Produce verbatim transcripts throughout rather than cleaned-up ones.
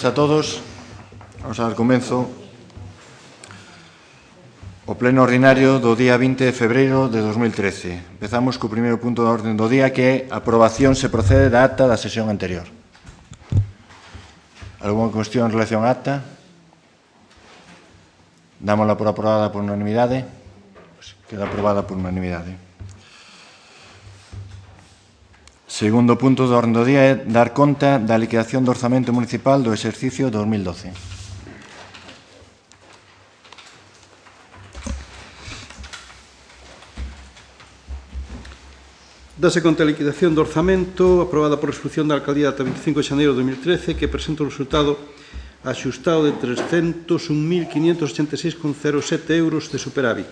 A todos, vamos a dar comenzo o pleno ordinario do día vinte de febreiro de dos mil trece. Empezamos co primeiro punto da orden do día, que é a aprobación se procede da acta da sesión anterior. Alguna cuestión en relación á acta? Dámola por aprobada por unanimidade. Pues queda aprobada por unanimidade. Segundo punto do orden do día é dar conta da liquidación do orzamento municipal do exercicio dos mil doce. Dase conta a liquidación do orzamento aprobada por resolución da Alcaldía data veinticinco de xaneiro de dos mil trece, que presenta o resultado axustado de trescentos un mil quinientos ochenta e seis coma cero sete euros de superávit,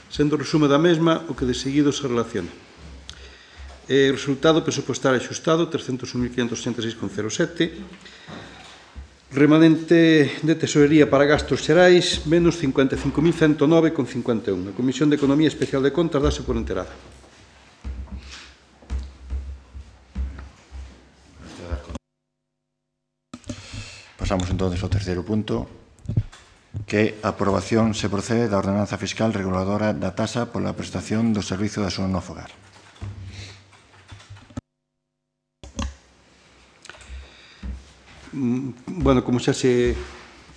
sendo o resumo da mesma o que de seguido se relaciona. O resultado presupuestario axustado, trescentos un mil quinientos ochenta e seis coma cero sete. Remanente de tesorería para gastos xerais, menos cincuenta e cinco mil cento nove coma cincuenta e un. A Comisión de Economía Especial de Contas dase por enterada. Pasamos entonces ao terceiro punto, que a aprobación se procede da ordenanza fiscal reguladora da tasa pola prestación do servizo de axuda no fogar. Bueno, como xa se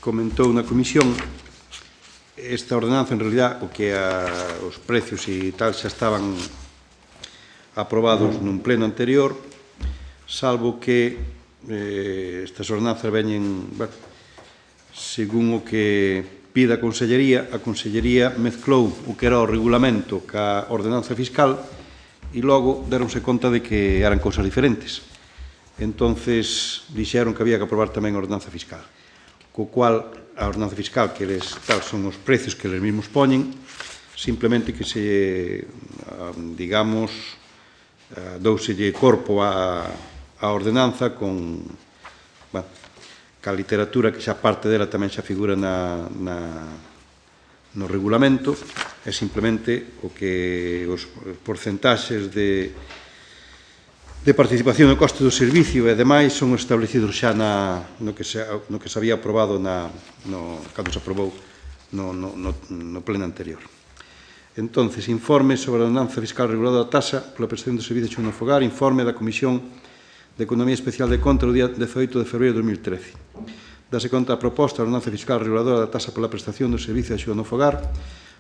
comentou na comisión, esta ordenanza, en realidad, o que a, os precios e tal xa estaban aprobados nun pleno anterior, salvo que eh, estas ordenanzas veñen, bueno, según o que pida a Consellería, a Consellería mezclou o que era o regulamento ca ordenanza fiscal e logo deronse conta de que eran cousas diferentes. Entonces, dixeron que había que aprobar tamén a ordenanza fiscal, co cual a ordenanza fiscal, que eles, tal, son os precios que eles mesmos poñen, simplemente que se, digamos, douselle corpo a, a ordenanza con, bueno, ca literatura que xa parte dela tamén xa figura na, na, no regulamento, é simplemente o que os porcentaxes de de participación no coste do servicio e demais son establecidos xa na, no, que se, no que se había aprobado na, no, cando se aprobou no, no, no, no pleno anterior. Entonces, informe sobre a ordenanza fiscal reguladora da tasa pola prestación do servicio no fogar, informe da Comisión de Economía Especial de Contas o día dezaoito de febreiro de dos mil trece. Dase conta a proposta da ordenanza fiscal reguladora da tasa pola prestación do servicio de axuda no fogar.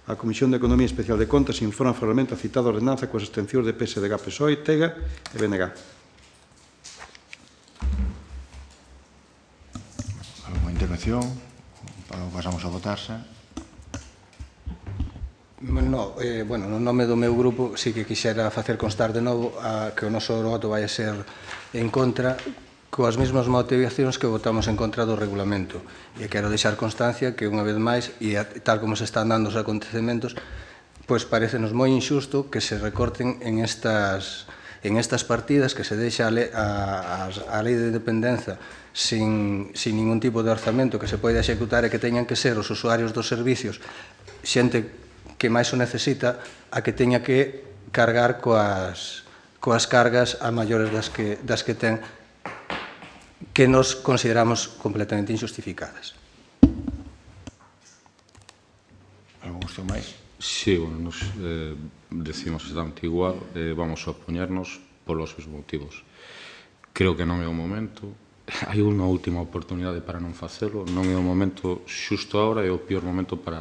A Comisión de Economía Especial de Contas informa formalmente a citada ordenanza coas abstencións de P S D G, P S O E, TEGA e B N G. Alguna intervención? Pasamos a votarse. No, eh, bueno, no nome do meu grupo sí que quixera facer constar de novo a que o noso voto vai a ser en contra, coas mesmas motivacións que votamos en contra do regulamento. E quero deixar constancia que, unha vez máis, e tal como se están dando os acontecementos, pois parecenos moi injusto que se recorten en estas, en estas partidas, que se deixa a, le, a, a lei de dependenza sin, sin ningún tipo de orzamento que se poida executar e que teñan que ser os usuarios dos servicios, xente que máis o necesita, a que teña que cargar coas, coas cargas a maiores das que, das que ten, que nos consideramos completamente injustificadas. Algún cuestión máis? Sí, bueno, nos eh, decimos exactamente igual, eh, vamos a opoñernos polos mesmos motivos. Creo que non é o momento, hai unha última oportunidade para non facelo, non é o momento xusto agora, é o pior momento para,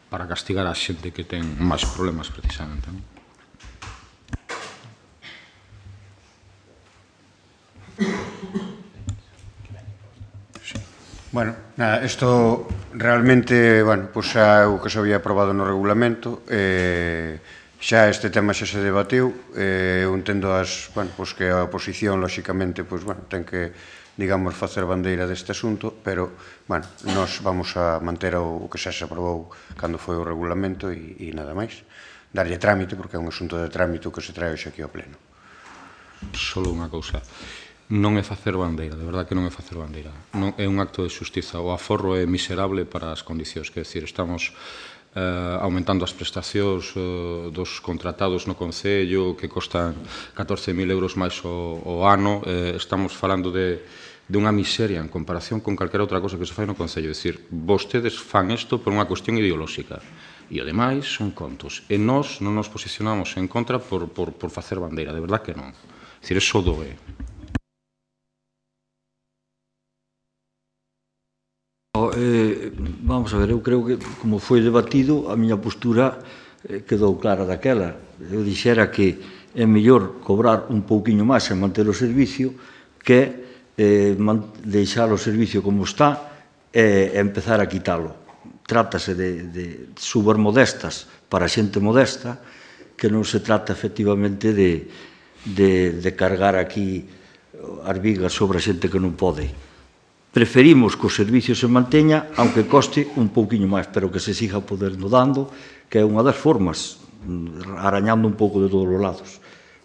para castigar a xente que ten máis problemas, precisamente, non? Bueno, nada, isto realmente, bueno, pois xa o que se había aprobado no regulamento, eh, xa este tema xa se debateu, eh, eu entendo as, bueno, pois que a oposición, lóxicamente, pois, bueno, ten que, digamos, facer bandeira deste asunto, pero, bueno, nós vamos a manter o, o que xa se aprobou cando foi o regulamento e, e nada máis. Darlle trámite, porque é un asunto de trámite que se trae hoxe aquí ao pleno. Solo unha cousa. Non é facer bandeira, de verdade que non é facer bandeira. Non é un acto de xustiza. O aforro é miserable para as condicións. Quer dizer, estamos eh, aumentando as prestacións eh, dos contratados no Concello, que costan catorce mil euros máis o, o ano. Eh, estamos falando de, de unha miseria en comparación con calquera outra cosa que se fai no Concello. É dicir, vostedes fan isto por unha cuestión ideolóxica. E, ademais, son contos. E nós non nos posicionamos en contra por, por, por facer bandeira. De verdad que non. É dicir, eso doe. Eh, vamos a ver, eu creo que, como foi debatido, a miña postura eh, quedou clara daquela. Eu dixera que é mellor cobrar un pouquiño máis e manter o servicio que eh, deixar o servicio como está e empezar a quitalo. Trátase de, de subas modestas para xente modesta, que non se trata efectivamente de, de, de cargar aquí as vigas sobre a xente que non pode. Preferimos que o servicio se manteña, aunque coste un pouquiño máis, pero que se siga podendo dando, que é unha das formas, arañando un pouco de todos os lados.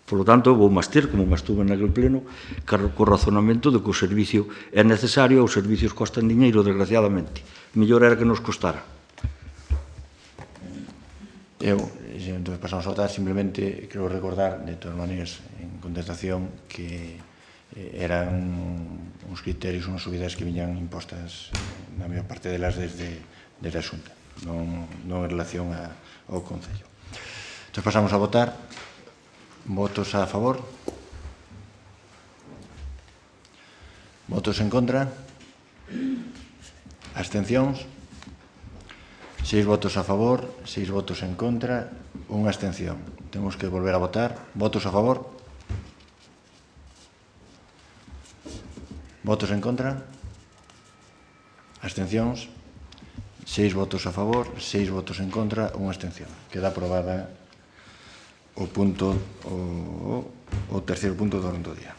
Por lo tanto, vou máis ter, como máis tuve naquele pleno, co razonamento de que o servicio é necesario, os servicios costan diñeiro, desgraciadamente. Mellor era que nos costara. Eu, entón, pasamos a votar, simplemente quero recordar, de todas maneiras, en contestación, que eran uns criterios, unhas subidas que viñan impostas, na maior parte delas, desde, desde a Xunta, non, non en relación a, ao Concello. Entón, pasamos a votar. Votos a favor? Votos en contra? Abstencións? Seis votos a favor, seis votos en contra, unha abstención. Temos que volver a votar. Votos a favor? Votos en contra? Abstencións? Seis votos a favor, seis votos en contra, unha abstención. Queda aprobada o punto, o, o terceiro punto do orden do día.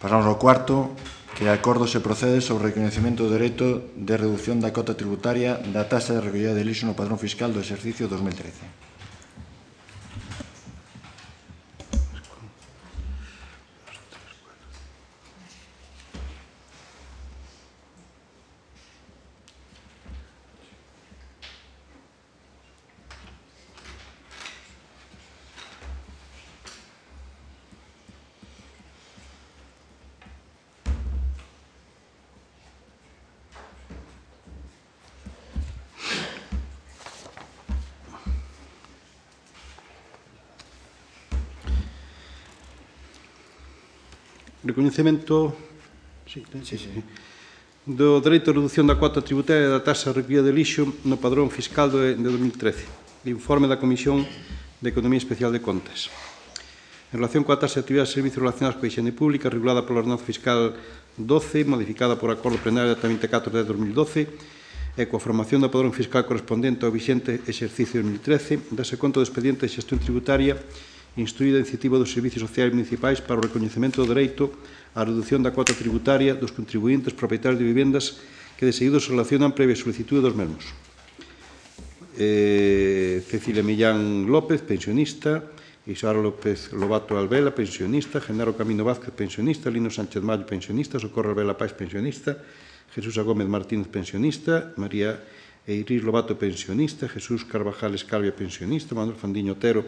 Pasamos ao cuarto, que acordo se procede sobre o recoñecemento do dereito de reducción da cota tributaria da taxa de recollida de lixo no padrón fiscal do exercicio dos mil trece. Recoñecemento sí, sí, sí. do dereito de reducción da cuota tributaria da taxa de recollida de lixo no padrón fiscal de dos mil trece. Informe da Comisión de Economía Especial de Contas. En relación coa taxa de actividade de servicios relacionados coa higiene pública, regulada pola Ordenanza Fiscal doce, modificada por acordo plenario de vinte e catro de dos mil doce, e coa formación do padrón fiscal correspondente ao vixente exercicio dos mil trece, dase conta do expediente de xestión tributaria instruída a iniciativa dos Servicios Sociais Municipais para o recoñecemento do dereito á reducción da cuota tributaria dos contribuintes propietarios de vivendas que de seguido se relacionan previa solicitude dos mesmos. Eh, Cecilia Millán López, pensionista, Isara López Lobato Albela, pensionista, Genaro Camino Vázquez, pensionista, Lino Sánchez Mayo, pensionista, Socorro Albela Pais, pensionista, Jesús Gómez Martínez, pensionista, María Eiris Lobato, pensionista, Jesús Carvajal Escalvia, pensionista, Manuel Fandiño Otero,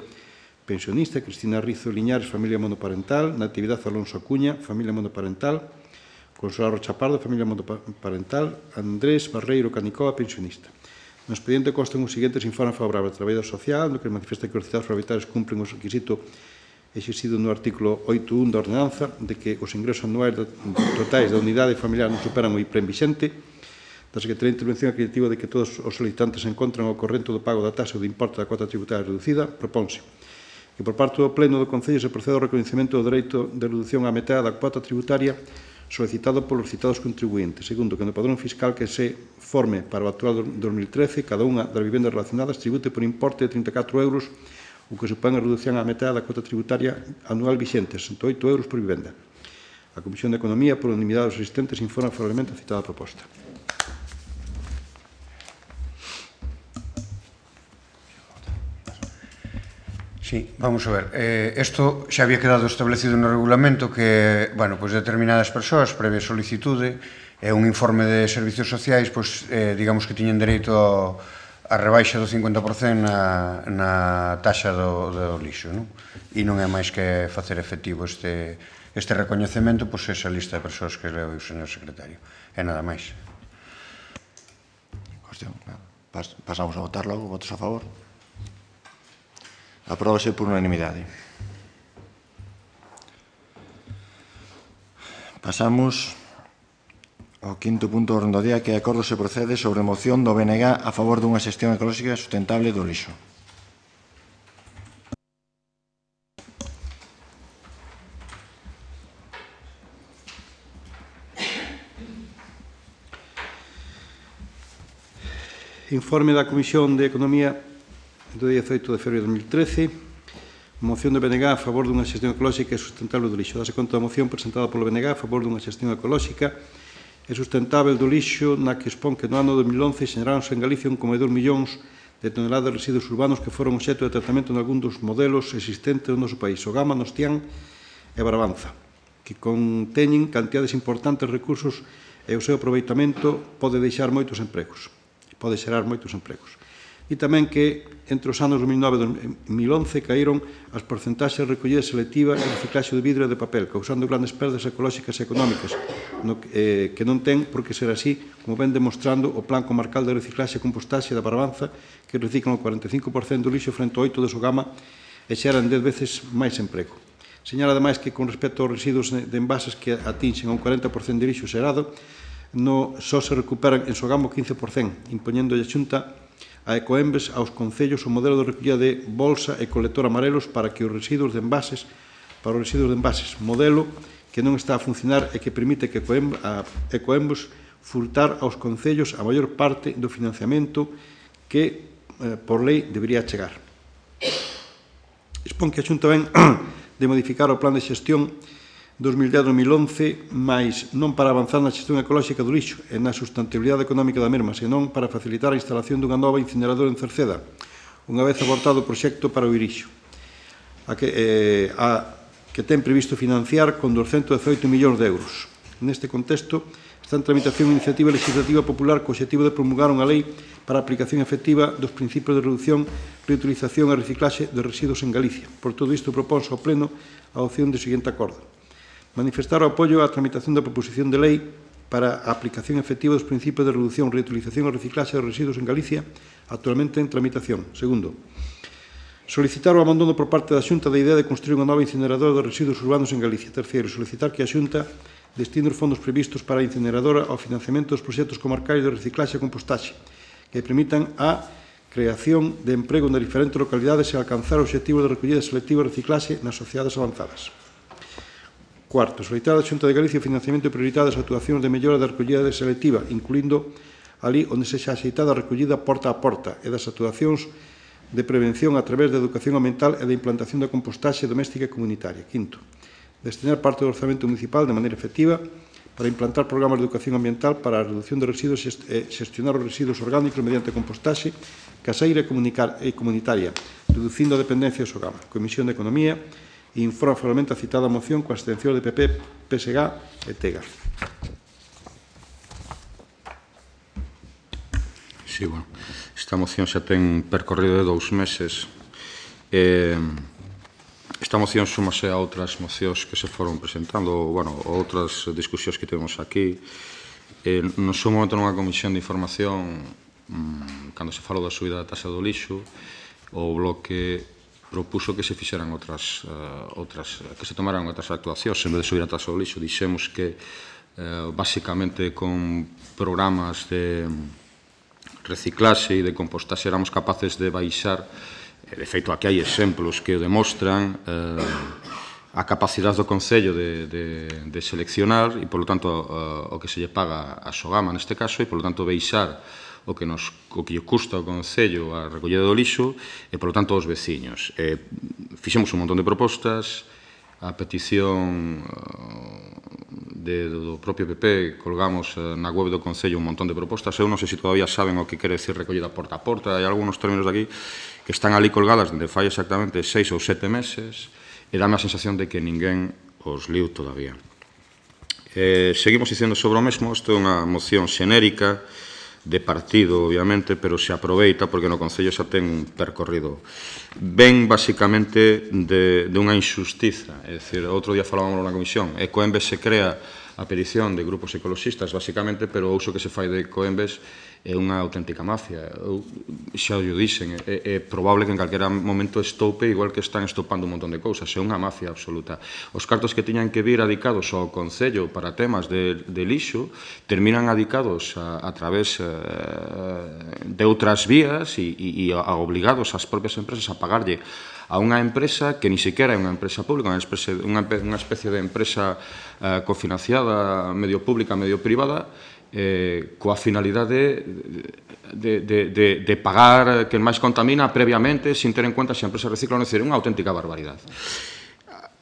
pensionista, Cristina Rizo Liñares, familia monoparental, Natividad Alonso Acuña, familia monoparental, Consuelo Rocha Pardo, familia monoparental, Andrés Barreiro Canicoa, pensionista. No expediente constan os seguintes informes favorables de Traballador Social, no que manifesta que os citados propietarios cumplen os requisitos exixidos no artículo oito punto un da ordenanza de que os ingresos anuais totais da unidade familiar non superan o I P R E M vixente, da Secretaría de Intervención Acreditativa de que todos os solicitantes se encontran ao corrente do pago da taxa ou do importe da cuota tributaria reducida, propónse que por parte do Pleno do Concello se procede ao recoñecemento do dereito de reducción á metade da cuota tributaria solicitado polos citados contribuintes. Segundo, que no padrón fiscal que se forme para o actual dos mil trece, cada unha das vivendas relacionadas tribute por importe de trinta e catro euros, o que supón a reducción á metade da cuota tributaria anual vixente, sesenta e oito euros por vivenda. A Comisión de Economía, por unanimidade dos asistentes, informa favorablemente a citada proposta. Sí, vamos a ver. Eh, esto xa había quedado establecido no regulamento que, bueno, pois determinadas persoas, previa solicitude, e un informe de servicios sociais, pois, eh, digamos que tiñen dereito a rebaixa do cincuenta por cento na, na taxa do, do lixo, non? E non é máis que facer efectivo este, este recoñecemento, pois esa lista de persoas que leo o señor secretario. E nada máis. Cuestión, pas, pasamos a votar logo, votos a favor. Apróbase por unanimidade. Pasamos ao quinto punto do orden do día, que é acordo se procede sobre moción do B N G a favor dunha xestión ecolóxica sustentable do lixo. Informe da Comisión de Economía do día dezaoito de febreiro de dos mil trece. Moción do B N G a favor dunha xestión ecolóxica e sustentable do lixo. Dase conta da moción presentada polo B N G a favor dunha xestión ecolóxica e sustentable do lixo, na que expón que no ano dos mil once xeneráronse en Galicia un coma dous millóns de toneladas de residuos urbanos que foron obxecto de tratamento en algún dos modelos existentes no noso país, o Gama, Nostián e Brabanza, que conteñen cantidades importantes de recursos e o seu aproveitamento pode deixar moitos empregos. pode xerar moitos empregos. E tamén que entre os anos dos mil nove e dos mil once caíron as porcentaxes de recollida selectiva e reciclaxe de vidro e de papel, causando grandes perdas ecolóxicas e económicas, no que, eh, que non ten por que ser así, como ven demostrando o Plan Comarcal de Reciclaxe e Compostaxe da Barbanza, que reciclan o cuarenta e cinco por cento do lixo frente ao oito por cento do Sogama e xeran dez veces máis emprego. Señala, ademais, que con respecto aos residuos de envases que atinxen a un cuarenta por cento de lixo xerado, no só se recuperan en Sogama o quince por cento, impoñendo a Xunta a Ecoembes aos concellos o modelo de recollida de bolsa e colector amarelos para que os residuos de envases, para os residuos de envases, modelo que non está a funcionar e que permite que a Ecoembes furtar aos concellos a maior parte do financiamento que, eh, por lei, debería chegar. Expón que a Xunta ven de modificar o plan de xestión dos mil dez a dos mil once, mas non para avanzar na xestión ecolóxica do lixo e na sustentabilidade económica da mesma, senón para facilitar a instalación dunha nova incineradora en Cerceda, unha vez abortado o proxecto para o Irixo, a que, eh, a, que ten previsto financiar con doscientos dezaoito millóns de euros. Neste contexto, está en tramitación unha iniciativa legislativa popular co objetivo de promulgar unha lei para a aplicación efectiva dos principios de reducción, reutilización e reciclaxe de residuos en Galicia. Por todo isto, proponse ao Pleno a opción do seguinte acordo. Manifestar o apoio á tramitación da proposición de lei para a aplicación efectiva dos principios de reducción, reutilización e reciclaxe de residuos en Galicia, actualmente en tramitación. Segundo, solicitar o abandono por parte da Xunta da idea de construir unha nova incineradora de residuos urbanos en Galicia. Terceiro, solicitar que a Xunta destine os fondos previstos para a incineradora ao financiamento dos proxectos comarcais de reciclaxe e compostaxe, que permitan a creación de emprego nas diferentes localidades e alcanzar o objetivo de recollida selectiva e reciclaxe nas sociedades avanzadas. Cuarto, solicitar a Xunta de Galicia o financiamento prioritado das actuacións de mellora da recollida selectiva, incluindo ali onde se xa aceitada a recollida porta a porta e das actuacións de prevención a través da educación ambiental e da implantación da compostaxe doméstica e comunitaria. Quinto, destinar parte do orzamento municipal de maneira efectiva para implantar programas de educación ambiental para a reducción de residuos e xestionar os residuos orgánicos mediante compostaxe caseira e comunitaria, reducindo a dependencia do Sogama. Comisión de Economía informa formalmente a citada moción coa abstención de P P, P S G e Tega. Sí, bueno, esta moción xa ten percorrido de dous meses. Eh, esta moción súmase a outras mocións que se foron presentando, bueno, outras discusións que temos aquí. Eh, no seu momento nunha comisión de información, mmm, cando se falou da subida da taxa do lixo, o bloque propuso que se fixeran outras, uh, outras, que se tomaran outras actuacións en vez de subir a taxa do lixo. Dixemos que, uh, basicamente, con programas de reciclaxe e de compostaxe éramos capaces de baixar, de feito, aquí hai exemplos que o demostran, uh, a capacidade do Concello de, de, de seleccionar e, polo tanto, uh, o que se lle paga a Sogama neste caso, e, polo tanto, baixar o que nos o que lle custa ao Concello a recollida do lixo e, polo tanto, aos veciños. Eh, fixemos un montón de propostas, a petición de, do propio P P, colgamos na web do Concello un montón de propostas. Eu non sei se todavía saben o que quere decir recollida porta a porta, hai algúns términos de aquí que están ali colgadas dende fai exactamente seis ou sete meses e dame a sensación de que ninguén os liu todavía. Eh, seguimos dicendo sobre o mesmo, isto é unha moción xenérica de partido, obviamente, pero se aproveita porque no Concello xa ten un percorrido. Ven, basicamente, de, de unha injustiza. É dicir, outro día falábamos na comisión, Ecoembes se crea a petición de grupos ecologistas, basicamente, pero o uso que se fai de Ecoembes é unha auténtica mafia. Eu xa o dixen, é, é probable que en calquera momento estope igual que están estopando un montón de cousas. É unha mafia absoluta. Os cartos que tiñan que vir adicados ao Concello para temas de, de lixo terminan adicados a, a través eh, de outras vías e, e, e a obligados ás propias empresas a pagarlle a unha empresa que ni sequera é unha empresa pública, unha especie, unha, unha especie de empresa eh, cofinanciada medio pública, medio privada, eh, coa finalidade de, de, de, de pagar quen máis contamina previamente sin ter en conta se a empresa recicla ou non. É unha auténtica barbaridade.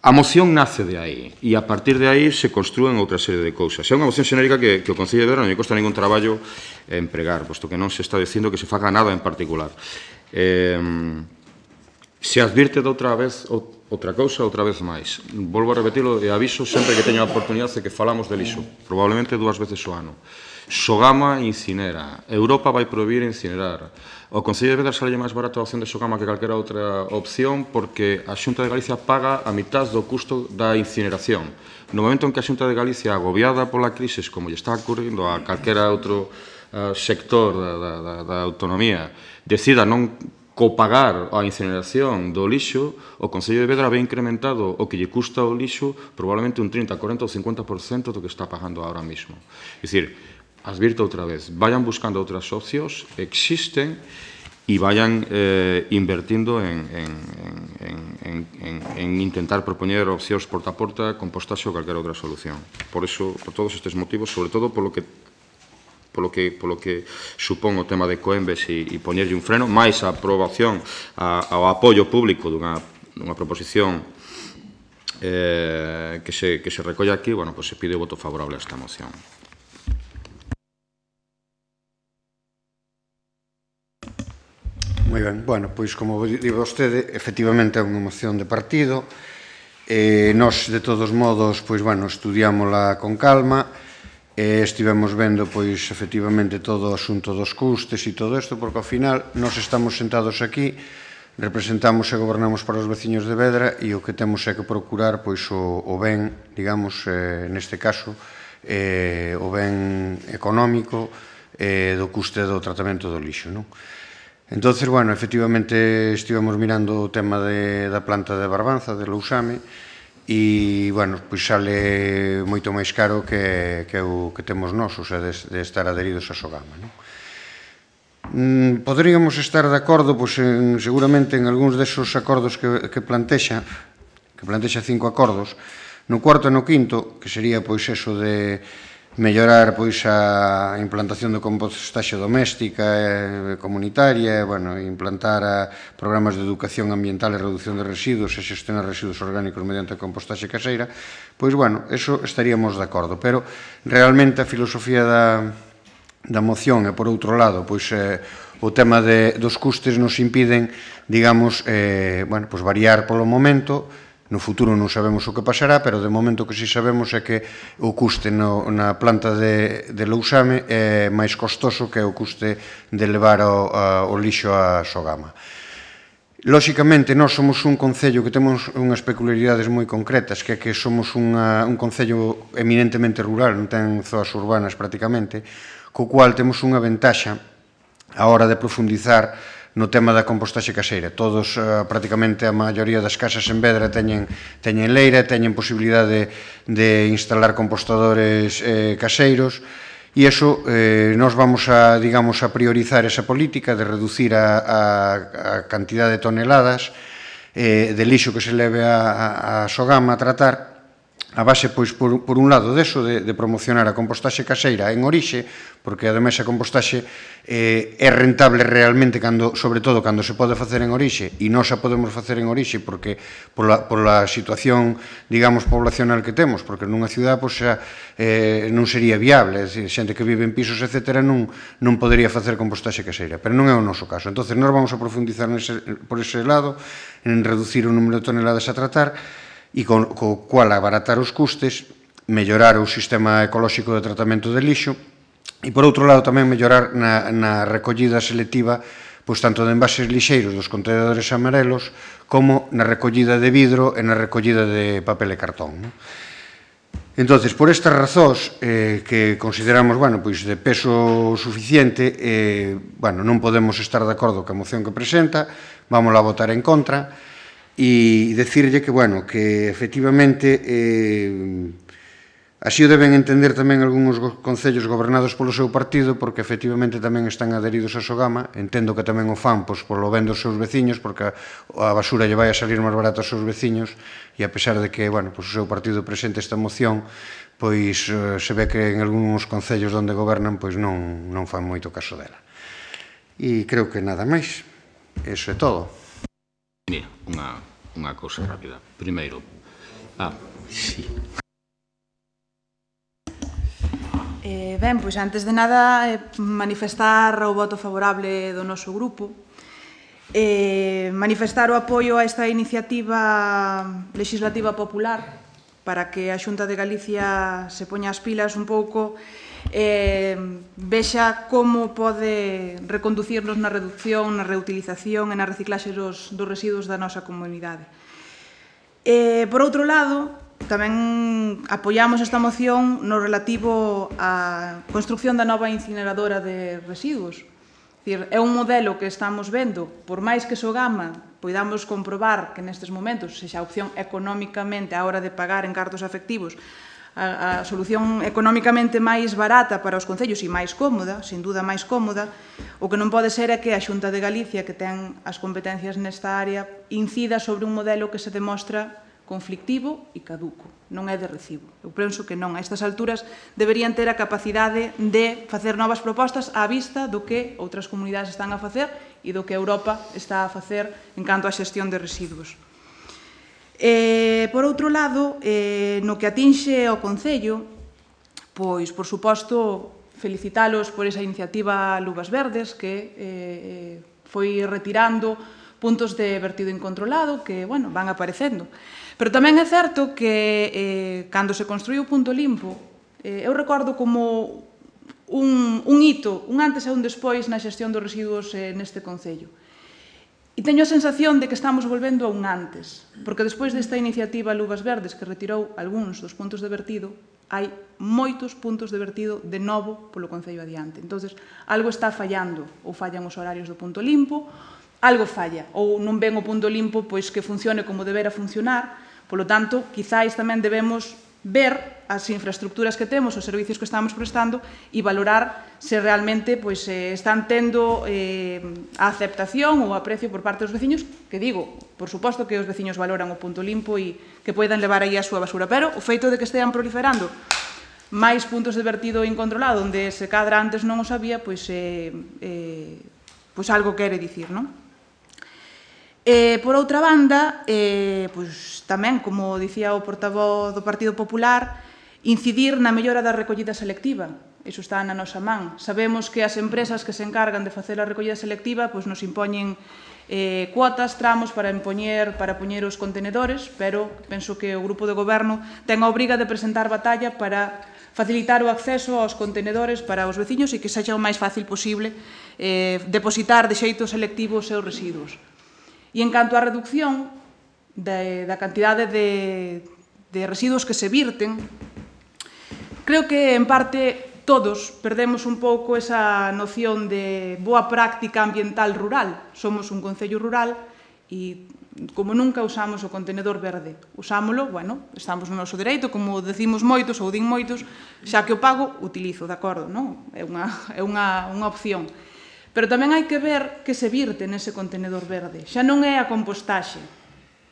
A moción nace de aí e a partir de aí se construen outra serie de cousas. É unha moción xenérica que, que o Concello de Vedra non lle costa ningún traballo empregar, posto que non se está dicindo que se faga nada en particular. Eh, se advirte de outra vez outra cousa, outra vez máis. Volvo a repetirlo e aviso sempre que teña a oportunidade de que falamos de lixo, probablemente dúas veces ao ano. Sogama incinera. Europa vai prohibir incinerar. O Concello de Vedra sale máis barato a opción de Sogama que calquera outra opción porque a Xunta de Galicia paga a mitad do custo da incineración. No momento en que a Xunta de Galicia, agobiada pola crise, como lle está ocurrindo a calquera outro uh, sector da, da, da, da autonomía, decida non copagar a incineración do lixo, o Concello de Vedra ve incrementado o que lle custa o lixo probablemente un trinta, cuarenta ou cincuenta por cento do que está pagando ahora mismo. É dicir, advirto outra vez, vayan buscando outras opcións, existen, e vayan eh, invertindo en, en, en, en, en, en intentar propoñer opcións porta a porta, compostaxe ou calquera outra solución. Por eso, por todos estes motivos, sobre todo polo que polo que, polo que supón o tema de Ecoembes e, e poñerlle un freno, máis a aprobación, a, ao apoio público dunha, dunha proposición eh, que, se, que se recolle aquí, bueno, pues se pide o voto favorable a esta moción. Moi ben, bueno, pois como di vostede, efectivamente é unha moción de partido, e nós, de todos modos, pois, bueno, estudiámola con calma, e estivemos vendo, pois, efectivamente, todo o asunto dos custes e todo isto, porque, ao final, nós estamos sentados aquí, representamos e gobernamos para os veciños de Vedra e o que temos é que procurar, pois, o, o ben, digamos, eh, neste caso, eh, o ben económico eh, do custe do tratamento do lixo, non? Entón, bueno, efectivamente, estivemos mirando o tema de, da planta de Barbanza, de Lousame, e, bueno, pois sale moito máis caro que, que o que temos nós, o sea, de, de estar adheridos a Sogama, non? Mm, poderíamos estar de acordo, pois, en, seguramente, en algúns desos acordos que, que plantexa, que plantexa cinco acordos, no cuarto e no quinto, que sería, pois, eso de mellorar, pois, a implantación de compostaxe doméstica e comunitaria, bueno, implantar a programas de educación ambiental e reducción de residuos e xestionar residuos orgánicos mediante a compostaxe caseira, pois, bueno, eso estaríamos de acordo, pero realmente a filosofía da, da moción e, por outro lado, pois, eh, o tema de, dos custes nos impiden, digamos, eh, bueno, pois, variar polo momento. No futuro non sabemos o que pasará, pero de momento que si sabemos é que o custe no, na planta de, de Lousame é máis costoso que o custe de levar o, a, o lixo a Sogama. Lóxicamente, nós somos un concello que temos unhas peculiaridades moi concretas, que é que somos unha, un concello eminentemente rural, non ten zoas urbanas prácticamente, co cual temos unha ventaxa a hora de profundizar no tema da compostaxe caseira. Todos, uh, prácticamente a maioría das casas en Vedra teñen, teñen leira, teñen posibilidade de, de instalar compostadores eh, caseiros, e iso, eh, nós vamos a, digamos, a priorizar esa política de reducir a, a, a cantidad de toneladas eh, de lixo que se leve a, a, a Sogama a tratar, a base, pois, por, por un lado deso, de, de promocionar a compostaxe caseira en orixe, porque ademais a compostaxe eh, é rentable realmente, cando, sobre todo, cando se pode facer en orixe, e nós a podemos facer en orixe porque pola, pola situación, digamos, poblacional que temos, porque nunha ciudad, pois, xa, eh, non sería viable, é dicir, xente que vive en pisos, etcétera, non, non podería facer compostaxe caseira, pero non é o noso caso. Entón, nós vamos a profundizar nese, por ese lado, en reducir o número de toneladas a tratar, e co, co cual abaratar os custes, mellorar o sistema ecolóxico de tratamento de lixo E, por outro lado, tamén mellorar na, na recollida selectiva, pois tanto de envases lixeiros dos contenedores amarelos, como na recollida de vidro e na recollida de papel e cartón, non? Entonces, por estas razóns eh, que consideramos, bueno, pois de peso suficiente, eh, bueno, non podemos estar de acordo ca moción que presenta, vamos a votar en contra, e decirlle que, bueno, que efectivamente eh, así o deben entender tamén algúns concellos gobernados polo seu partido, porque efectivamente tamén están adheridos a Sogama. Entendo que tamén o fan pois, polo ben dos seus veciños, porque a basura lle vai a salir máis barato aos seus veciños, e a pesar de que, bueno, pois, o seu partido presente esta moción, pois se ve que en algúns concellos onde gobernan pois non, non fan moito caso dela. E creo que nada máis. Eso é todo. Mira, unha, unha cousa rápida. Primeiro, ah, sí. Eh, ben, pois antes de nada eh, manifestar o voto favorable do noso grupo, eh, manifestar o apoio a esta iniciativa legislativa popular para que a Xunta de Galicia se poña as pilas un pouco, eh, vexa como pode reconducirnos na reducción, na reutilización e na reciclaxe dos, dos residuos da nosa comunidade. Eh, por outro lado, tamén apoiamos esta moción no relativo á construcción da nova incineradora de residuos. É un modelo que estamos vendo, por máis que Sogama poidamos comprobar que nestes momentos, sexa a opción económicamente a hora de pagar en cartos afectivos, a, a solución económicamente máis barata para os concellos e máis cómoda, sin duda máis cómoda, o que non pode ser é que a Xunta de Galicia, que ten as competencias nesta área, incida sobre un modelo que se demostra conflictivo e caduco, non é de recibo. Eu penso que non, a estas alturas deberían ter a capacidade de facer novas propostas á vista do que outras comunidades están a facer e do que Europa está a facer en canto á xestión de residuos. Eh, por outro lado, eh, no que atinxe ao Concello, pois, por suposto, felicitalos por esa iniciativa Luvas Verdes que eh, foi retirando puntos de vertido incontrolado que, bueno, van aparecendo. Pero tamén é certo que eh, cando se construiu o punto limpo, eh, eu recordo como un, un hito, un antes e un despois na xestión dos residuos eh, neste Concello. E teño a sensación de que estamos volvendo a un antes, porque despois desta iniciativa Luvas Verdes que retirou algúns dos puntos de vertido, hai moitos puntos de vertido de novo polo Concello adiante. Entonces, algo está fallando, ou fallan os horarios do punto limpo, algo falla, ou non ven o punto limpo pois que funcione como debera funcionar. Polo tanto, quizáis tamén debemos ver as infraestructuras que temos, os servicios que estamos prestando e valorar se realmente pois, eh, están tendo eh, a aceptación ou aprecio por parte dos veciños, que digo, por suposto que os veciños valoran o punto limpo e que poidan levar aí a súa basura, pero o feito de que estean proliferando máis puntos de vertido incontrolado onde se cadra antes non o sabía, pois, eh, eh, pois algo quere dicir, non? Eh, por outra banda, eh, pois, tamén, como dicía o portavoz do Partido Popular, incidir na mellora da recollida selectiva. Iso está na nosa man. Sabemos que as empresas que se encargan de facer a recollida selectiva pois, nos impoñen eh, cuotas, tramos para impoñer, para poñer os contenedores, pero penso que o grupo de goberno ten a obriga de presentar batalla para facilitar o acceso aos contenedores para os veciños e que sexa o máis fácil posible eh, depositar de xeito selectivo os seus residuos. E en canto á reducción de, da cantidade de, de residuos que se virten, creo que, en parte, todos perdemos un pouco esa noción de boa práctica ambiental rural. Somos un concello rural e, como nunca, usamos o contenedor verde. Usámolo, bueno, estamos no noso dereito, como decimos moitos ou din moitos, xa que o pago, utilizo, de acordo, non? É unha, é unha, unha opción. Pero tamén hai que ver que se virte nese contenedor verde. Xa non é a compostaxe.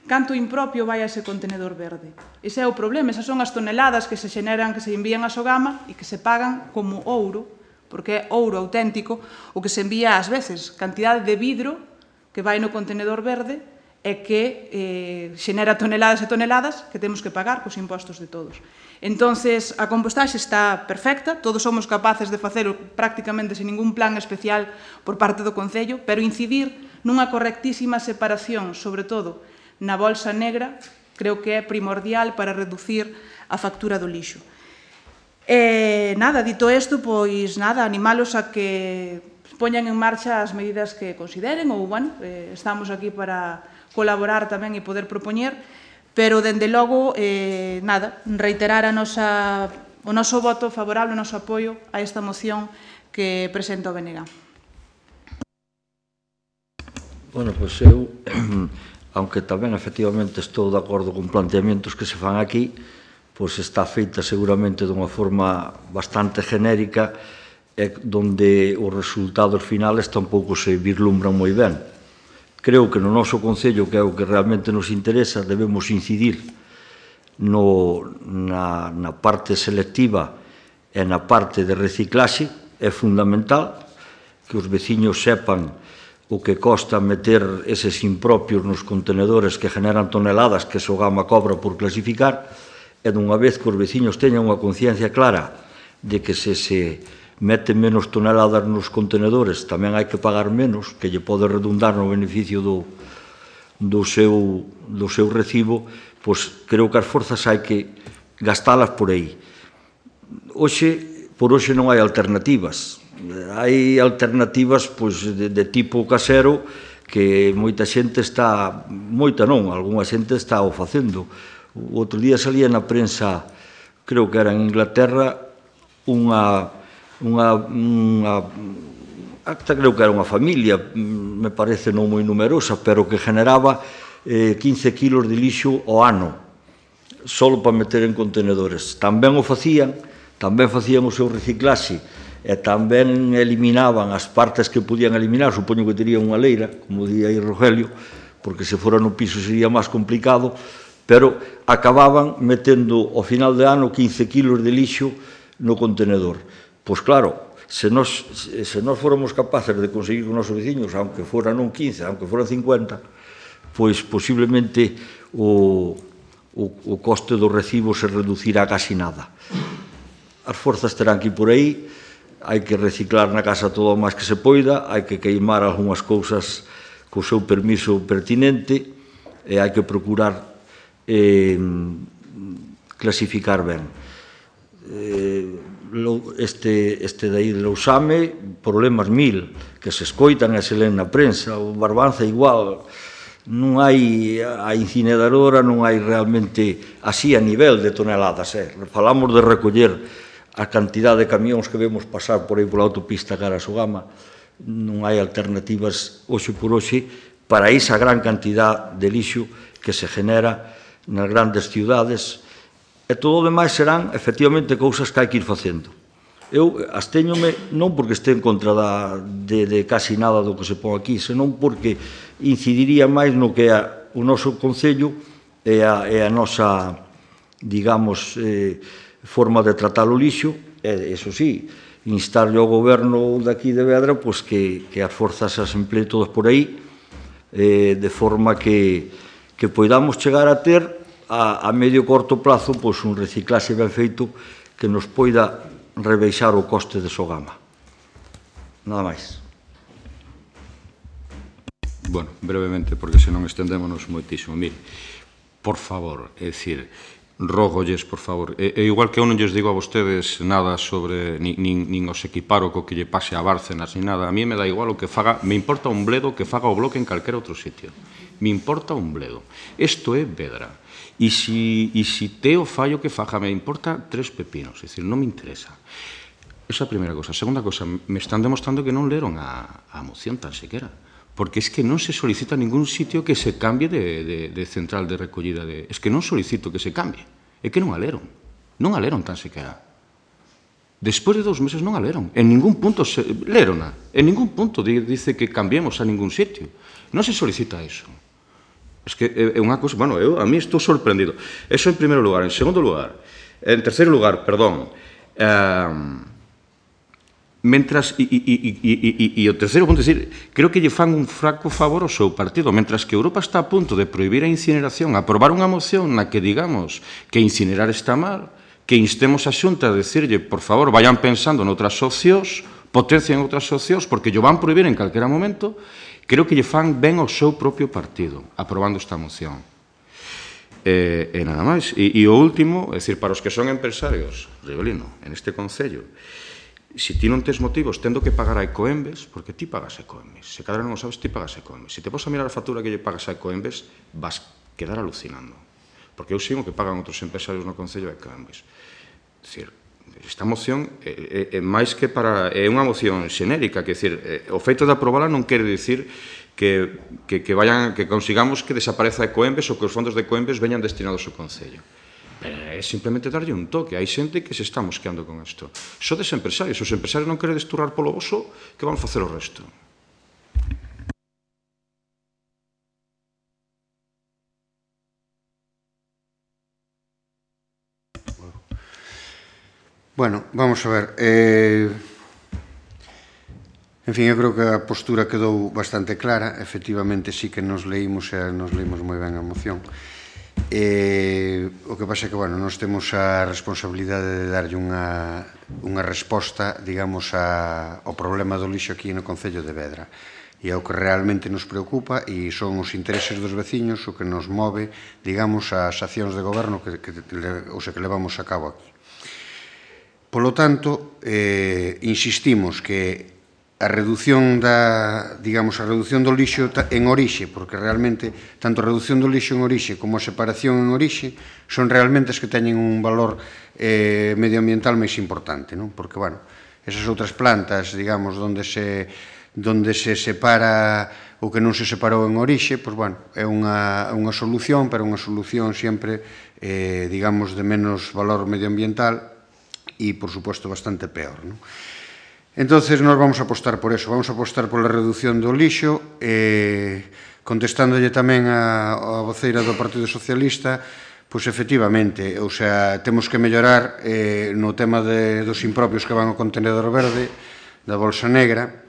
Canto impropio vai a ese contenedor verde. Ese é o problema. Esas son as toneladas que se xeneran, que se envían a Sogama e que se pagan como ouro, porque é ouro auténtico, o que se envía ás veces. Cantidade de vidro que vai no contenedor verde e que eh, xenera toneladas e toneladas que temos que pagar cos impostos de todos. Entonces, a compostaxe está perfecta, todos somos capaces de facelo prácticamente sin ningún plan especial por parte do Concello, pero incidir nunha correctísima separación, sobre todo na bolsa negra, creo que é primordial para reducir a factura do lixo. E nada, dito isto, pois nada, animalos a que poñan en marcha as medidas que consideren, ou, bueno, eh, estamos aquí para colaborar tamén e poder propoñer, pero, dende logo, eh, nada, reiterar a nosa, o noso voto favorable, o noso apoio a esta moción que presenta o B N G. Bueno, pois eu, aunque tamén efectivamente estou de acordo con planteamientos que se fan aquí, pois está feita seguramente dunha forma bastante genérica e donde os resultados finales tampouco se vislumbran moi ben. Creo que no noso Concello, que é o que realmente nos interesa, debemos incidir no, na, na parte selectiva e na parte de reciclaxe. É fundamental que os veciños sepan o que costa meter eses impropios nos contenedores que generan toneladas que Sogama cobra por clasificar, e dunha vez que os veciños teñan unha conciencia clara de que se se meten menos toneladas nos contenedores tamén hai que pagar menos, que lle pode redundar no beneficio do, do, seu, do seu recibo, pois creo que as forzas hai que gastalas por aí. Hoxe, por hoxe non hai alternativas. Hai alternativas pois, de, de tipo casero que moita xente está, moita non, algunha xente está o facendo. O outro día salía na prensa, creo que era en Inglaterra, unha, unha, unha acta, creo que era unha familia, me parece non moi numerosa, pero que generaba eh, quince kilos de lixo ao ano, solo para meter en contenedores. Tamén o facían, tamén facían o seu reciclaxe, e tamén eliminaban as partes que podían eliminar, supoño que terían unha leira, como día aí Rogelio, porque se fora no piso sería máis complicado, pero acababan metendo ao final de ano quince kilos de lixo no contenedor. Pois claro, se nós, se nós fóramos capaces de conseguir con os nosos veciños, aunque fora non quince, aunque fora cincuenta, pois posiblemente o, o, o coste do recibo se reducirá casi nada. As forzas terán que ir por aí, hai que reciclar na casa todo o máis que se poida, hai que queimar algunhas cousas co seu permiso pertinente e hai que procurar eh, clasificar ben. Eh, este, este de aí de Lousame, problemas mil, que se escoitan e se len na prensa, o Barbanza igual, non hai a incineradora, non hai realmente así a nivel de toneladas. Eh. Falamos de recoller a cantidad de camións que vemos pasar por aí pola autopista cara a Sogama, non hai alternativas hoxe por hoxe para esa gran cantidad de lixo que se genera nas grandes ciudades, e todo o demais serán, efectivamente, cousas que hai que ir facendo. Eu absteñome non porque este en contra da, de, de casi nada do que se pon aquí, senón porque incidiría máis no que é o noso Concello e a, e a nosa, digamos, eh, forma de tratar o lixo, e, eso sí, instarle ao goberno daqui de Vedra pois que, que as forzas as emplee todas por aí, eh, de forma que que poidamos chegar a ter a, a medio corto plazo pois, un reciclaxe ben feito que nos poida rebeixar o coste de Sogama. Nada máis. Bueno, brevemente, porque senón estendémonos moitísimo. Mire, por favor, é dicir, rógolles, por favor, e, e igual que eu non lles digo a vostedes nada sobre, nin, nin, nin os equiparo co que lle pase a Bárcenas, nin nada, a mí me dá igual o que faga, me importa un bledo que faga o Bloque en calquera outro sitio. Me importa un bledo. Isto é Vedra. E si, e si teo fallo que faja, me importa tres pepinos. É dicir, non me interesa. Esa é a primeira cosa. A segunda cosa, me están demostrando que non leron a, a moción tan sequera. Porque es que non se solicita ningún sitio que se cambie de, de, de central de recollida. De, es que non solicito que se cambie. É que non a leron. Non a leron tan sequera. Despois de dous meses non a leron. En ningún punto se, lerona. En ningún punto dice que cambiemos a ningún sitio. Non se solicita eso. Es que é unha cosa, bueno, eu a mí estou sorprendido. Eso en primeiro lugar. En segundo lugar, en terceiro lugar, perdón, eh, mentras, e, e, e, e, e o terceiro punto, é dicir, creo que lle fan un fraco favor ao seu partido, mentras que Europa está a punto de prohibir a incineración, aprobar unha moción na que digamos que incinerar está mal, que instemos a Xunta a decirlle, por favor, vayan pensando noutras opcións, potencien outras opcións, porque lle van prohibir en calquera momento. Creo que lle fan ben ao seu propio partido, aprobando esta moción. E, e nada máis. E, e o último, é dicir, para os que son empresarios, Rivelino, en este Concello, se ti non tes motivos tendo que pagar a Ecoembes, porque ti pagas a Ecoembes. Se cada non o sabes, ti pagas a Ecoembes. Se te vas a mirar a factura que lle pagas a Ecoembes, vas quedar alucinando. Porque eu sigo que pagan outros empresarios no Concello de Ecoembes. É dicir, esta moción é, é, é máis que para... É unha moción xenérica, que é dicir, o feito de aprobala non quere dicir que, que, que, vayan, que consigamos que desapareza Ecoembes ou que os fondos de Ecoembes veñan destinados ao Concello. É simplemente darlle un toque. Hai xente que se está mosqueando con isto. Sodes empresarios. Se os empresarios non queredes turrar polo voso, que van facer o resto? Bueno, vamos a ver. Eh... En fin, eu creo que a postura quedou bastante clara. Efectivamente, sí que nos leímos e nos leímos moi ben a moción. Eh, o que pasa é que, bueno, nós temos a responsabilidade de darlle unha, unha resposta, digamos, a, ao problema do lixo aquí no Concello de Vedra. E é o que realmente nos preocupa e son os intereses dos veciños o que nos move, digamos, as accións de goberno que, que, o sea, que levamos a cabo aquí. Polo tanto, eh, insistimos que a reducción da, digamos, a reducción do lixo en orixe, porque realmente tanto a reducción do lixo en orixe como a separación en orixe son realmente as que teñen un valor eh, medioambiental máis importante, non? Porque, bueno, esas outras plantas, digamos, onde se, onde se separa o que non se separou en orixe, pois, bueno, é unha, unha solución, pero unha solución sempre, eh, digamos, de menos valor medioambiental e, por suposto, bastante peor, non? Entonces, nós vamos a apostar por eso, vamos a apostar pola reducción do lixo, eh, contestándolle tamén a, a voceira do Partido Socialista, pois efectivamente, ou sea, temos que mellorar eh, no tema de, dos impropios que van ao contenedor verde, da bolsa negra,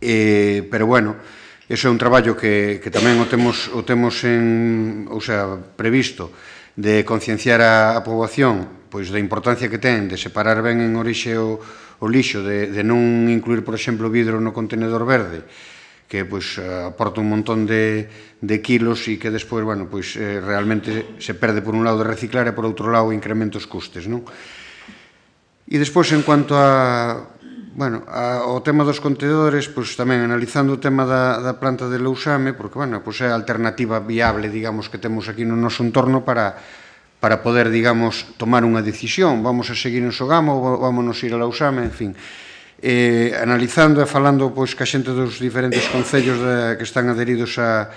eh, pero bueno, eso é un traballo que, que tamén o temos, o temos en, ou sea, previsto, de concienciar a, a poboación pois da importancia que ten de separar ben en orixe o, o lixo, de, de non incluir, por exemplo, vidro no contenedor verde, que pois aporta un montón de, de kilos e que despois, bueno, pois eh, realmente se perde por un lado de reciclar e por outro lado incrementa os custes, non? E despois, en cuanto a, bueno, a, ao tema dos contenedores, pois tamén analizando o tema da, da planta de Lousame, porque, bueno, pois é a alternativa viable, digamos, que temos aquí no noso entorno para para poder, digamos, tomar unha decisión. Vamos a seguir en Sogamo ou vámonos ir a Lousame, en fin. Eh, analizando e falando pois, ca xente dos diferentes concellos de, que están adheridos á,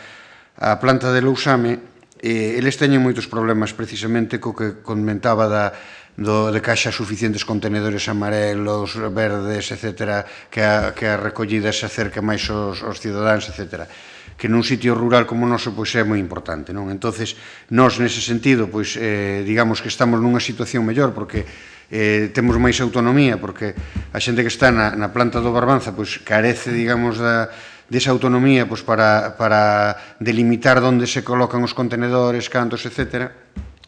á planta de Lousame, eh, eles teñen moitos problemas precisamente co que comentaba da, do, de que haxa suficientes contenedores amarelos, verdes, etcétera, que a, que a recollida se acerque máis aos, aos cidadáns, etcétera, que nun sitio rural como o noso pois é moi importante, non? Entonces, nós nese sentido, pois eh, digamos que estamos nunha situación mellor porque eh, temos máis autonomía, porque a xente que está na, na planta do Barbanza pois carece, digamos, da desa autonomía pois para para delimitar onde se colocan os contenedores, cantos, etcétera,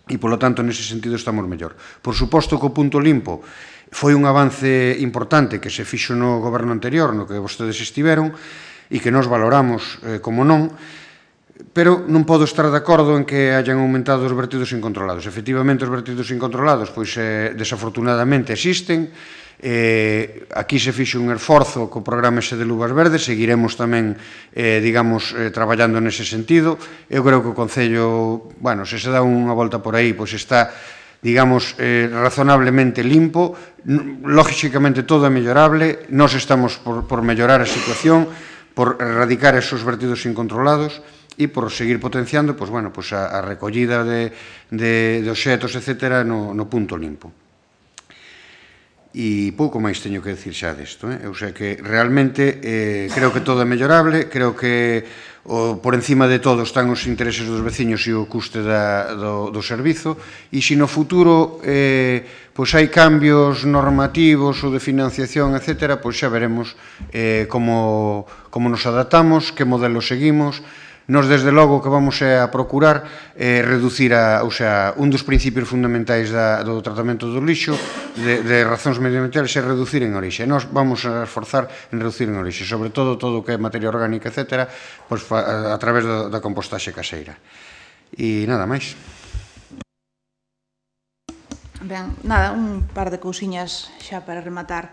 e polo tanto nese sentido estamos mellor. Por suposto que o punto limpo foi un avance importante que se fixo no goberno anterior, no que vostedes estiveron, e que nos valoramos eh, como non, pero non podo estar de acordo en que hayan aumentado os vertidos incontrolados. Efectivamente, os vertidos incontrolados, pois, eh, desafortunadamente, existen. Eh, aquí se fixe un esforzo co programa ese de Luvas Verdes, seguiremos tamén, eh, digamos, eh, traballando nese sentido. Eu creo que o Concello, bueno, se se dá unha volta por aí, pois está, digamos, eh, razonablemente limpo. Lógicamente, todo é mellorable. Nós estamos por, por mellorar a situación, por erradicar esos vertidos incontrolados e por seguir potenciando pois, bueno, pois a, a recollida de, de, de obxetos, etcétera, no, no punto limpo. E pouco máis teño que decir xa desto, eh? O sea que realmente eh, creo que todo é mellorable, creo que o, por encima de todo están os intereses dos veciños e o custe da, do, do servizo, e se no futuro eh, pois hai cambios normativos ou de financiación, etcétera, pois xa veremos eh, como, como nos adaptamos, que modelo seguimos. Nos, desde logo, que vamos a procurar eh, reducir, a, o sea, un dos principios fundamentais da, do tratamento do lixo, de, de razóns medioambientales, é reducir en orixe. Nós vamos a esforzar en reducir en orixe, sobre todo todo o que é materia orgánica, etcétera, pois, a, a través da, da compostaxe caseira. E nada máis. Ben, nada, un par de cousiñas xa para rematar.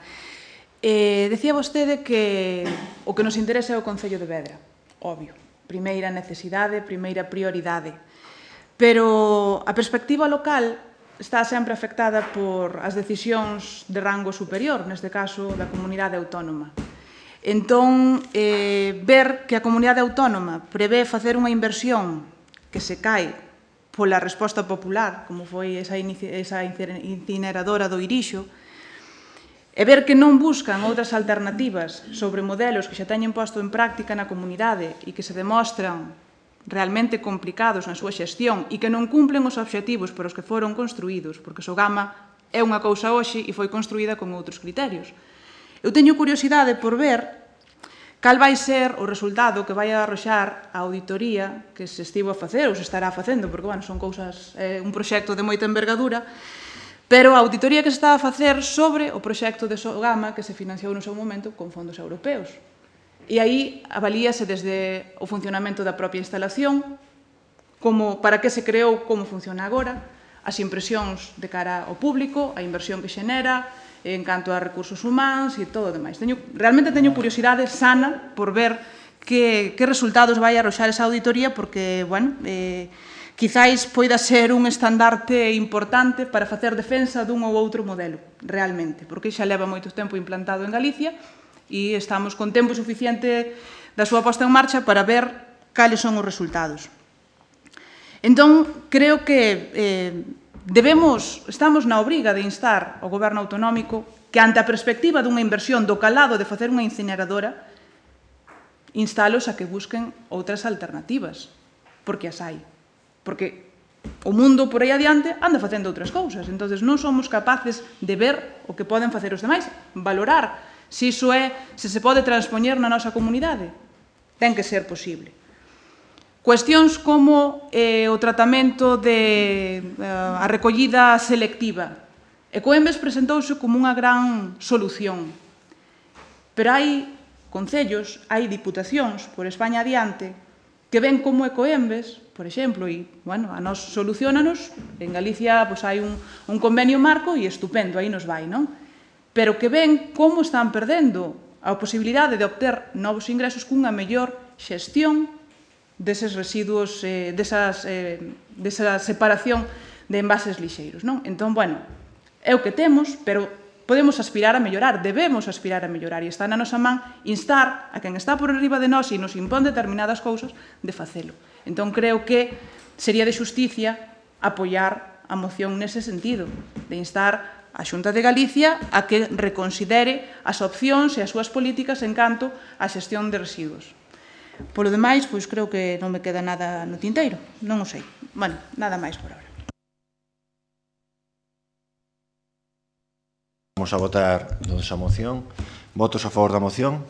Eh, decía vostede que o que nos interesa é o Concello de Vedra, obvio. Primeira necesidade, primeira prioridade. Pero a perspectiva local está sempre afectada por as decisións de rango superior, neste caso da comunidade autónoma. Entón, eh, ver que a comunidade autónoma prevé facer unha inversión que se cae pola resposta popular, como foi esa, esa incineradora do Irixo, e ver que non buscan outras alternativas sobre modelos que xa teñen posto en práctica na comunidade e que se demostran realmente complicados na súa xestión e que non cumplen os obxectivos por os que foron construídos, porque Sogama é unha cousa hoxe e foi construída con outros criterios. Eu teño curiosidade por ver cal vai ser o resultado que vai arroxar a auditoría que se estivo a facer ou se estará facendo, porque, bueno, son cousas, é un proxecto de moita envergadura, pero a auditoría que se está a facer sobre o proxecto de Sogama que se financiou no seu momento con fondos europeos. E aí avalíase desde o funcionamento da propia instalación, como para que se creou, como funciona agora, as impresións de cara ao público, a inversión que xenera, en canto a recursos humanos e todo o demais. Teño, realmente teño curiosidade sana por ver que, que resultados vai arroxar esa auditoría, porque, bueno, eh, quizáis poida ser un estandarte importante para facer defensa dun ou outro modelo, realmente, porque xa leva moito tempo implantado en Galicia e estamos con tempo suficiente da súa posta en marcha para ver cales son os resultados. Entón, creo que eh, debemos, estamos na obriga de instar ao Goberno autonómico que, ante a perspectiva dunha inversión do calado de facer unha incineradora, instalos a que busquen outras alternativas, porque as hai. Porque o mundo por aí adiante anda facendo outras cousas, entón non somos capaces de ver o que poden facer os demais, valorar se iso é, se se pode transpoñer na nosa comunidade. Ten que ser posible. Cuestións como eh, o tratamento de uh, a recollida selectiva. Ecoembes presentouse como unha gran solución, pero hai concellos, hai diputacións por España adiante que ven como Ecoembes, por exemplo, e, bueno, a nos solucionanos, en Galicia pois, hai un, un convenio marco e estupendo, aí nos vai, non? Pero que ven como están perdendo a posibilidade de obter novos ingresos cunha mellor xestión deses residuos, eh, desas, eh, desa separación de envases lixeiros, non? Entón, bueno, é o que temos, pero podemos aspirar a mellorar, debemos aspirar a mellorar, e está na nosa man instar a quen está por arriba de nós e nos impón determinadas cousas de facelo. Entón, creo que sería de xusticia apoiar a moción nese sentido, de instar a Xunta de Galicia a que reconsidere as opcións e as súas políticas en canto á xestión de residuos. Polo demais, pois creo que non me queda nada no tinteiro, non o sei. Bueno, nada máis por agora. Vamos a votar esa moción. Votos a favor da moción?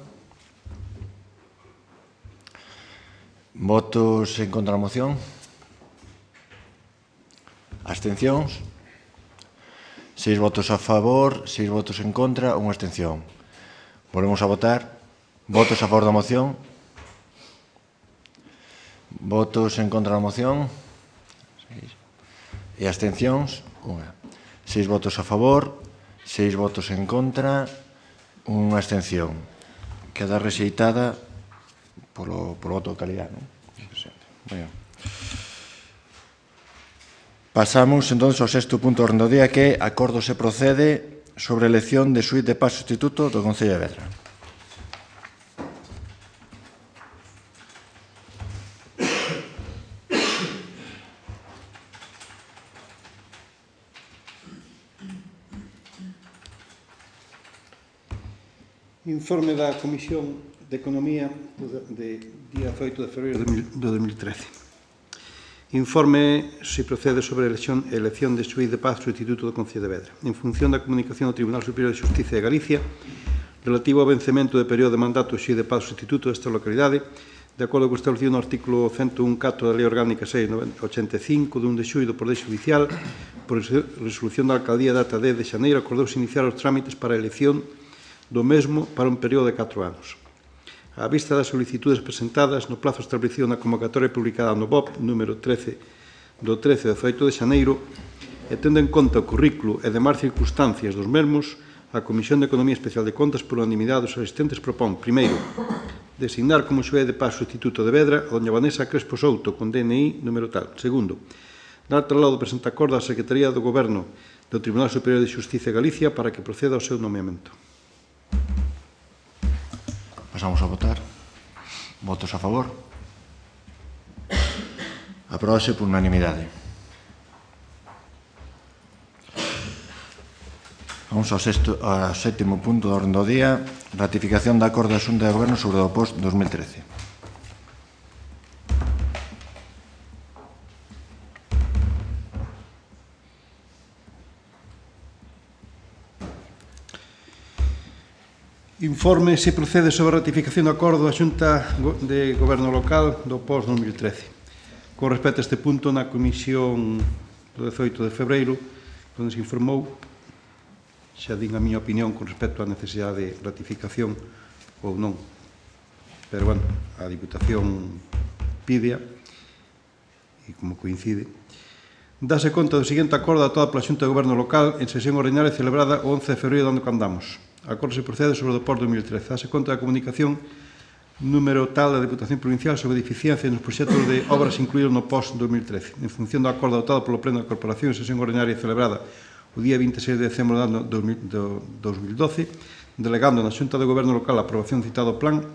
Votos en contra da moción? Abstencións? Seis votos a favor, seis votos en contra, unha abstención. Volvemos a votar. Votos a favor da moción? Votos en contra da moción? Seis. E abstencións? Unha. Seis votos a favor, seis votos en contra, unha abstención. Queda rexeitada polo, polo voto de calidad, non? Bueno. Pasamos, entón, ao sexto punto do orden do día, que é acordo se procede sobre a elección de xuíz de paz sustituto do Concello de Vedra. Informe da Comisión de Economía de día oito de febreiro de dos mil trece. Informe se procede sobre a elección, elección de xuíz de paz sustituto do Concello de Vedra. En función da comunicación do Tribunal Superior de Justicia de Galicia relativo ao vencemento de período de mandato do xuíz de paz sustituto desta localidade, de acordo co establecido no artículo ciento un punto catro da Lei Orgánica seis barra ochenta e cinco de un de xullo do Poder Judicial, por resolución da Alcaldía data dez de xaneiro, acordouse iniciar os trámites para a elección do mesmo para un período de catro anos. A vista das solicitudes presentadas no plazo establecido na convocatoria publicada no B O P número trece do trece de dezaoito de xaneiro, e tendo en conta o currículo e demais circunstancias dos mesmos, a Comisión de Economía Especial de Contas, por unanimidade dos asistentes, propón, primeiro, designar como xuez de paz sustituto de Vedra a doña Vanessa Crespo Souto, con D N I número tal. Segundo, dar traslado do presente acordo á Secretaría do Goberno do Tribunal Superior de Xustiza de Galicia para que proceda ao seu nomeamento. Pasamos a votar. Votos a favor. Apróbase por unanimidade. Vamos ao, sexto, ao sétimo punto do orden do día, ratificación da acordo da Xunta de Goberno sobre o post dos mil trece. Informe se procede sobre a ratificación do acordo da Xunta de Goberno Local do post dos mil trece. Con respecto a este punto, na comisión do dezoito de febreiro, onde se informou, xa din a miña opinión con respecto á necesidade de ratificación ou non. Pero, bueno, a Diputación pide e como coincide, dase conta do seguinte acordo adoptado pola Xunta de Goberno Local en sesión ordinaria celebrada o once de febreiro do ano que andamos. O acordo se procede sobre o do post dos mil trece. Dase conta da comunicación número tal da Diputación Provincial sobre a deficiencia nos proxectos de obras incluídos no post dos mil trece. En función do acordo adoptado polo Pleno da Corporación en sesión ordinaria celebrada o día vinte e seis de decembro do ano dos mil doce, delegando na Xunta de Goberno Local a aprobación citado plan,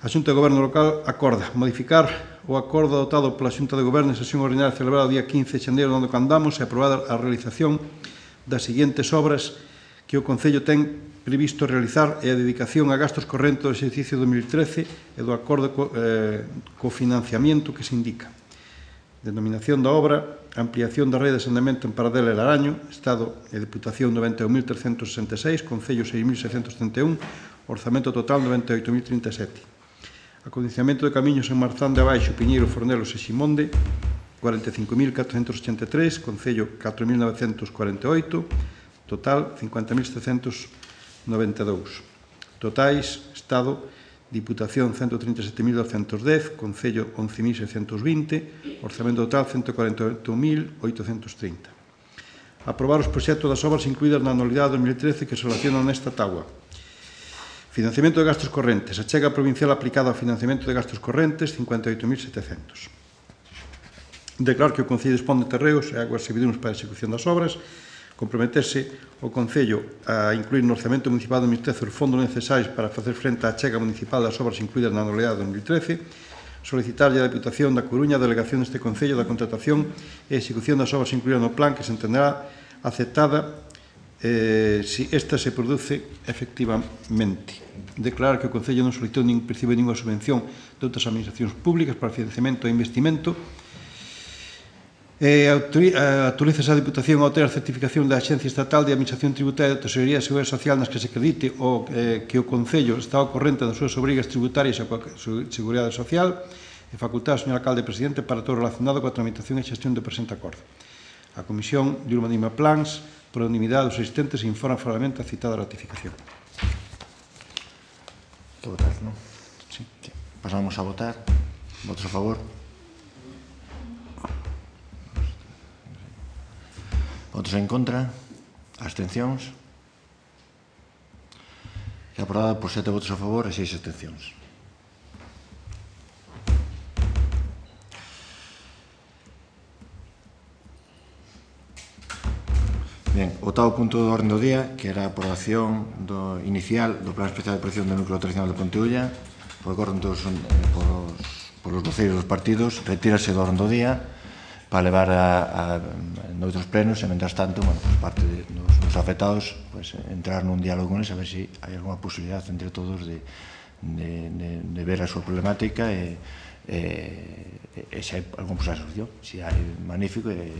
a Xunta de Goberno Local acorda modificar o acordo adoptado pola Xunta de Goberno en sesión ordinaria celebrada o día quince de xaneiro do ano que andamos e aprobada a realización das seguintes obras que o Concello ten previsto realizar e a dedicación a gastos correntes do exercicio dos mil trece e do acordo co, eh, co financiamento que se indica. Denominación da obra, ampliación da rede de saneamento en Paradela e Laraño, Estado e Deputación noventa e un mil trescentos sesenta e seis, Concello seis mil seiscentos setenta e un, orzamento total noventa e oito mil trinta e sete. Acondicionamento de camiños en Marzán de Abaixo, Piñeiro, Fornelos e Ximonde, cuarenta e cinco mil catrocentos ochenta e tres, Concello catro mil novecentos cuarenta e oito, total cincuenta mil setecentos noventa e dous. Totais, Estado, Diputación ciento trinta e sete mil douscentos dez, Concello once mil seiscentos vinte, orzamento total ciento cuarenta e oito mil oitocentos trinta. Aprobar os proxectos das obras incluídas na anualidade dos mil trece que se relacionan nesta tábua. Financiamento de gastos correntes. Achega provincial aplicada ao financiamento de gastos correntes cincuenta e oito mil setecentos. Declaro que o Concello dispón de terreos e aguas servidumes para a execución das obras. Comprometerse o Concello a incluir no orzamento municipal do dos mil trece os fondos necesarios para facer frente á achega municipal das obras incluídas na anualidade de dos mil trece, solicitarlle a Deputación da Coruña a delegación deste Concello da contratación e execución das obras incluídas no plan que se entenderá aceptada eh, si esta se produce efectivamente. Declarar que o Concello non solicitou nin percibe ninguna subvención de outras administracións públicas para financiamento e investimento. Eh, autoriza a Diputación a obter a certificación da Axencia Estatal de Administración Tributaria da Tesorería de Seguridade Social nas que se acredite o, eh, que o Concello está ao corrente das súas obrigas tributarias e a Seguridade Social e facultar ao señor Alcalde Presidente para todo relacionado coa tramitación e xestión do presente acordo. A Comisión de Urbanismo e Plans, por unanimidade dos asistentes, informa favorablemente a citada ratificación. Que votar, non? Sí. Pasamos a votar. Votos a favor. Votos en contra, abstencións. E aprobada por sete votos a favor e seis abstencións. Ben, o oitavo punto do orden do día, que era a aprobación do inicial do Plan Especial de Protección do Núcleo Tradicional de Ponteulla, por acordo todos, eh, polos, polos voceiros dos partidos, retírase do orden do día para levar a, a noutros plenos e, mentras tanto, bueno, pues, parte de, dos, dos afectados, pues, entrar nun diálogo con eles a ver se si hai alguna posibilidad entre todos de, de, de, de ver a súa problemática e, e, e se hai alguna posibilidad de solución. Se hai, magnífico e,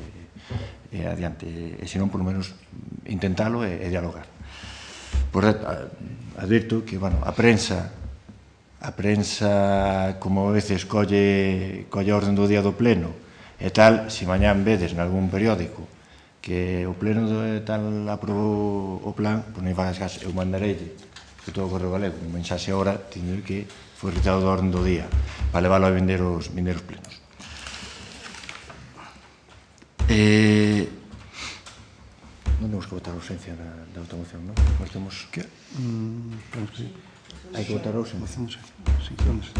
e adiante. E se non, por lo menos, intentalo e, e dialogar. Por certo, advirto que, bueno, a prensa a prensa, como a veces, colle, colle a orden do día do pleno e tal, se mañán vedes nalgún periódico que o pleno de tal aprobou o plan, pois non fagas caso, eu mandareille que todo o Correo Galego, un mensaxe ahora, tiño que foi retirado do orden do día para leválo a vender os, vender os plenos. Eh, temos que votar a ausencia da, da outra moción, non? Nós temos... Que? Mm, penso que sí. Hai que votar a ausencia. Moción, sí. Sí, ¿dónde está?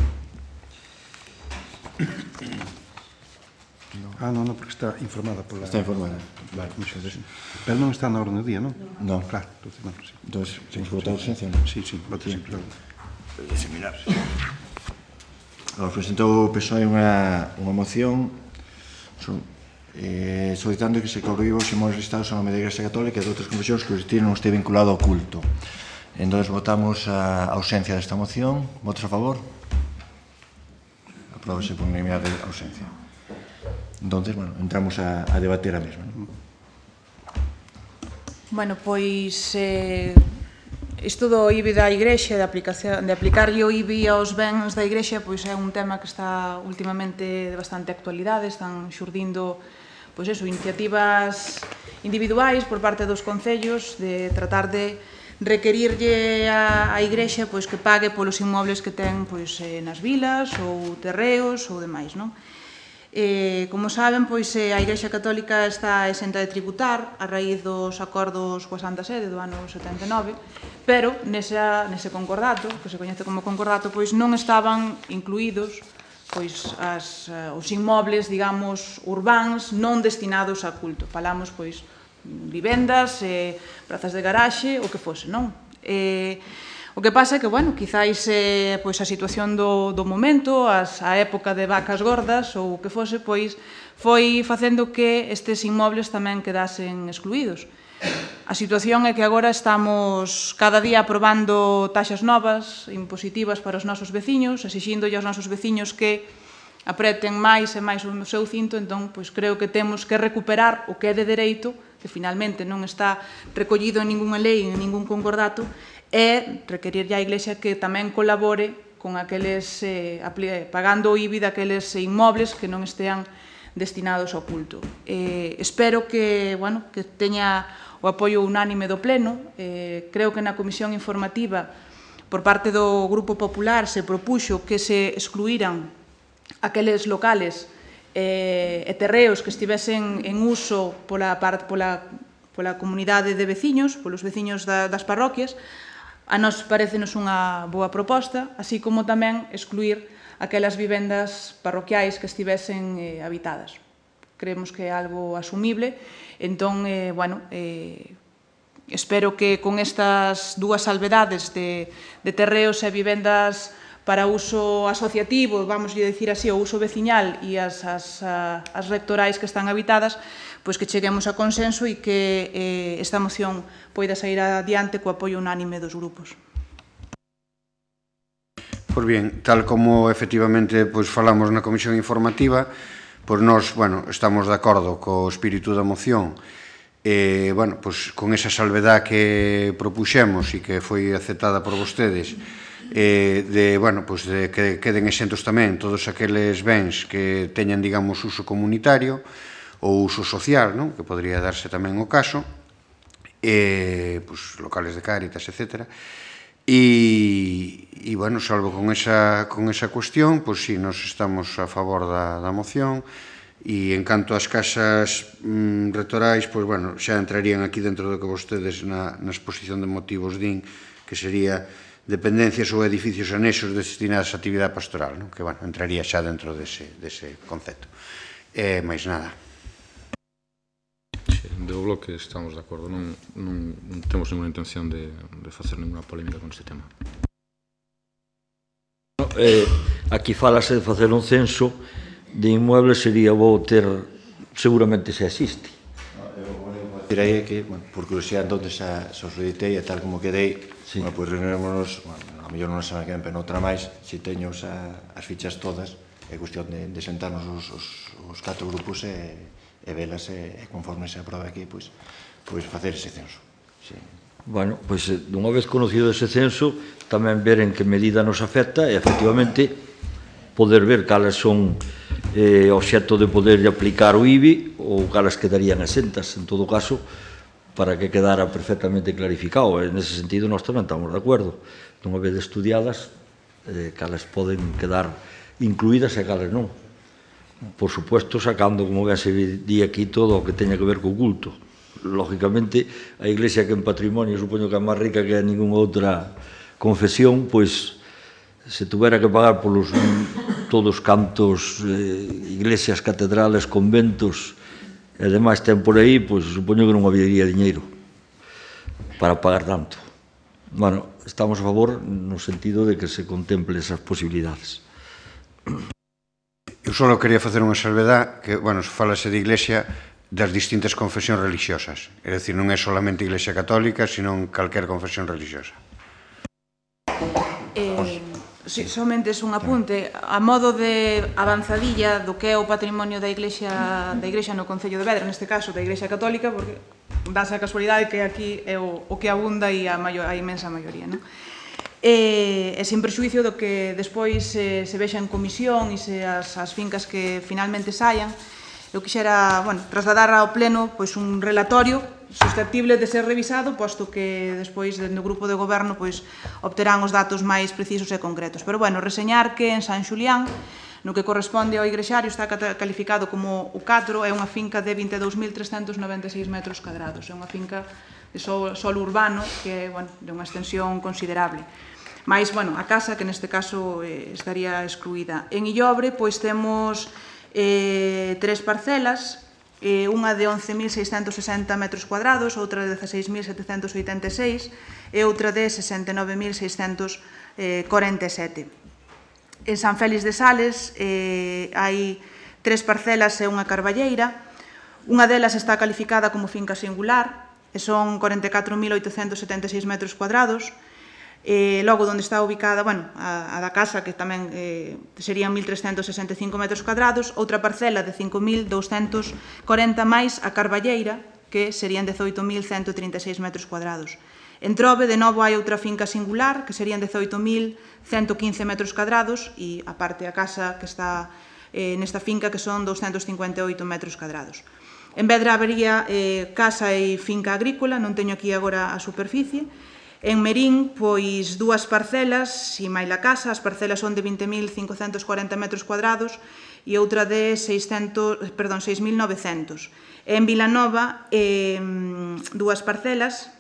No. Ah, non, non, porque está informada pola... Está informada. Vale. Entonces, pero non está na orden do día, non? Non. Claro, entonces, bueno, sí. Entón, temos que votar a ausencia, sí. non? Sí, sí, voto sí, claro. Diseminarse. Agora, presentou o P S O E unha, unha moción so, eh, solicitando que se cobriu os inmuebles listados a nome da Igrexa Católica e de outras confesións que o destino non este vinculado ao culto. Entón, votamos a ausencia desta moción. Votos a favor? Apróbase por unanimidade a ausencia. Entón, bueno, entramos a, a debater a mesma. Non? Bueno, pois eh, isto do I B I da Igrexa, de, aplicación, de aplicarlle o I B I aos bens da Igrexa, pois é un tema que está últimamente de bastante actualidade, están xurdindo pois eso, iniciativas individuais por parte dos concellos de tratar de requerirlle a, a Igrexa pois que pague polos inmobles que ten pois eh, nas vilas ou terreos ou demais, non? Eh, como saben, pois eh, a Igrexa Católica está exenta de tributar a raíz dos acordos coa Santa Sede do ano setenta e nove, pero nesa, nese concordato, que se coñece como concordato, pois non estaban incluídos pois as, uh, os inmobles, digamos, urbáns non destinados a culto. Falamos, pois, vivendas, eh, prazas de garaxe, o que fose, non? Eh, o que pasa é que, bueno, quizáis eh, pois a situación do, do momento, as, a época de vacas gordas ou o que fose, pois foi facendo que estes inmobles tamén quedasen excluídos. A situación é que agora estamos cada día aprobando taxas novas, impositivas para os nosos veciños, exixíndolle aos nosos veciños que apreten máis e máis o seu cinto, entón, pois creo que temos que recuperar o que é de dereito, que finalmente non está recollido en ninguna lei, en ningún concordato, e requerirlle á Iglesia que tamén colabore con aqueles, eh, pagando o I B I daqueles inmobles que non estean destinados ao culto. Eh, espero que, bueno, que teña o apoio unánime do Pleno. Eh, creo que na Comisión Informativa, por parte do Grupo Popular, se propuxo que se excluíran aqueles locales eh, e terreos que estivesen en uso pola, pola, pola comunidade de veciños, polos veciños da, das parroquias. A nos parecenos unha boa proposta, así como tamén excluir aquelas vivendas parroquiais que estivesen eh, habitadas. Creemos que é algo asumible, entón, eh, bueno, eh, espero que con estas dúas salvedades de, de terreos e vivendas para uso asociativo, vamos a decir así, o uso veciñal e as, as, as rectorais que están habitadas, pois que cheguemos a consenso e que eh, esta moción poida sair adiante co apoio unánime dos grupos. Pois bien, tal como efectivamente pois, falamos na Comisión Informativa, pois nós, bueno, estamos de acordo co espírito da moción e, bueno, pois con esa salvedad que propuxemos e que foi aceptada por vostedes, eh, de, bueno, pois de que queden exentos tamén todos aqueles bens que teñan, digamos, uso comunitario ou uso social, non? Que podría darse tamén o caso, e, pois, locales de Cáritas, etcétera. E, e bueno, salvo con esa, con esa cuestión, pois sí, nos estamos a favor da, da moción, e en canto ás casas mm, rectorais, pois bueno, xa entrarían aquí dentro do que vostedes na, na exposición de motivos din, que sería dependencias ou edificios anexos destinados a actividade pastoral, non? Que, bueno, entraría xa dentro dese, dese concepto. E máis nada. Do bloque estamos de acordo, non, non, non temos ninguna intención de, de facer ninguna polémica con este tema. Eh, aquí falase de facer un censo de inmuebles, sería bo ter, seguramente se existe. Direi que, bueno, por curiosidade, onde xa os editei e tal como quedei, sí. Bueno, pois reunirémonos, bueno, a mellor non semana que ven, pero noutra máis, se teño xa as fichas todas, é cuestión de, de sentarnos os, os, os catro grupos e e velas e conforme se aproba aquí, pois, pois facer ese censo. Sí. Bueno, pois dunha vez conocido ese censo, tamén ver en que medida nos afecta e, efectivamente, poder ver cales son eh, obxecto de poder aplicar o I B I ou cales quedarían exentas, en todo caso, para que quedara perfectamente clarificado. En ese sentido, nós tamén estamos de acordo. Dunha vez estudiadas, eh, cales poden quedar incluídas e cales non. Por supuesto, sacando, como ben se di aquí, todo o que teña que ver co culto. lógicamente, a Iglesia que en patrimonio supoño que é máis rica que a ninguna outra confesión, pois se tuvera que pagar polos todos cantos, eh, iglesias, catedrales, conventos e demais ten por aí, pois supoño que non habería diñeiro para pagar tanto. Bueno, estamos a favor no sentido de que se contemple esas posibilidades. Eu só quería facer unha salvedad que, bueno, falase de iglesia das distintas confesións religiosas. É dicir, non é solamente iglesia católica, sino calquer confesión religiosa. Eh, sí, somente es un apunte a modo de avanzadilla do que é o patrimonio da Iglesia da Iglesia no Concello de Vedra, neste caso da Iglesia Católica, porque dáse a casualidade que aquí é o, o que abunda e a, maior, a imensa maioría, non? E, e sin prexuicio do que despois se, se vexa en comisión e se as, as fincas que finalmente saian, eu quixera, bueno, trasladar ao pleno pois un relatorio susceptible de ser revisado, posto que despois dentro do grupo de goberno pois obterán os datos máis precisos e concretos. Pero bueno, reseñar que en San Xulián, no que corresponde ao igrexario, está calificado como o catro, é unha finca de vinte e dous mil trescentos noventa e seis metros cadrados. É unha finca de solo, solo urbano que é, bueno, de unha extensión considerable. Mais, bueno, a casa, que neste caso eh, estaría excluída. En Illobre, pois temos eh, tres parcelas, eh, unha de once mil seiscentos sesenta metros cuadrados, outra de dezaseis mil setecentos oitenta e seis e outra de sesenta e nove mil seiscentos corenta e sete. En San Félix de Sales eh, hai tres parcelas e unha carballeira. Unha delas está calificada como finca singular e son corenta e catro mil oitocentos setenta e seis metros cuadrados. Eh, logo, onde está ubicada, bueno, a, a da casa, que tamén eh, serían mil trescentos sesenta e cinco metros cuadrados, outra parcela de cinco mil douscentos corenta máis a carballeira, que serían dezoito mil cento trinta e seis metros cuadrados. En Trove, de novo, hai outra finca singular, que serían dezoito mil cento quince metros cuadrados, e aparte a casa que está eh, nesta finca, que son doscientos cincuenta e oito metros cuadrados. En Vedra habería eh, casa e finca agrícola, non teño aquí agora a superficie. En Merín, pois, dúas parcelas, e máis a casa, as parcelas son de vinte mil cincocentos corenta metros cuadrados e outra de seiscentos, perdón, seis mil novecentos. En Vilanova, eh, dúas parcelas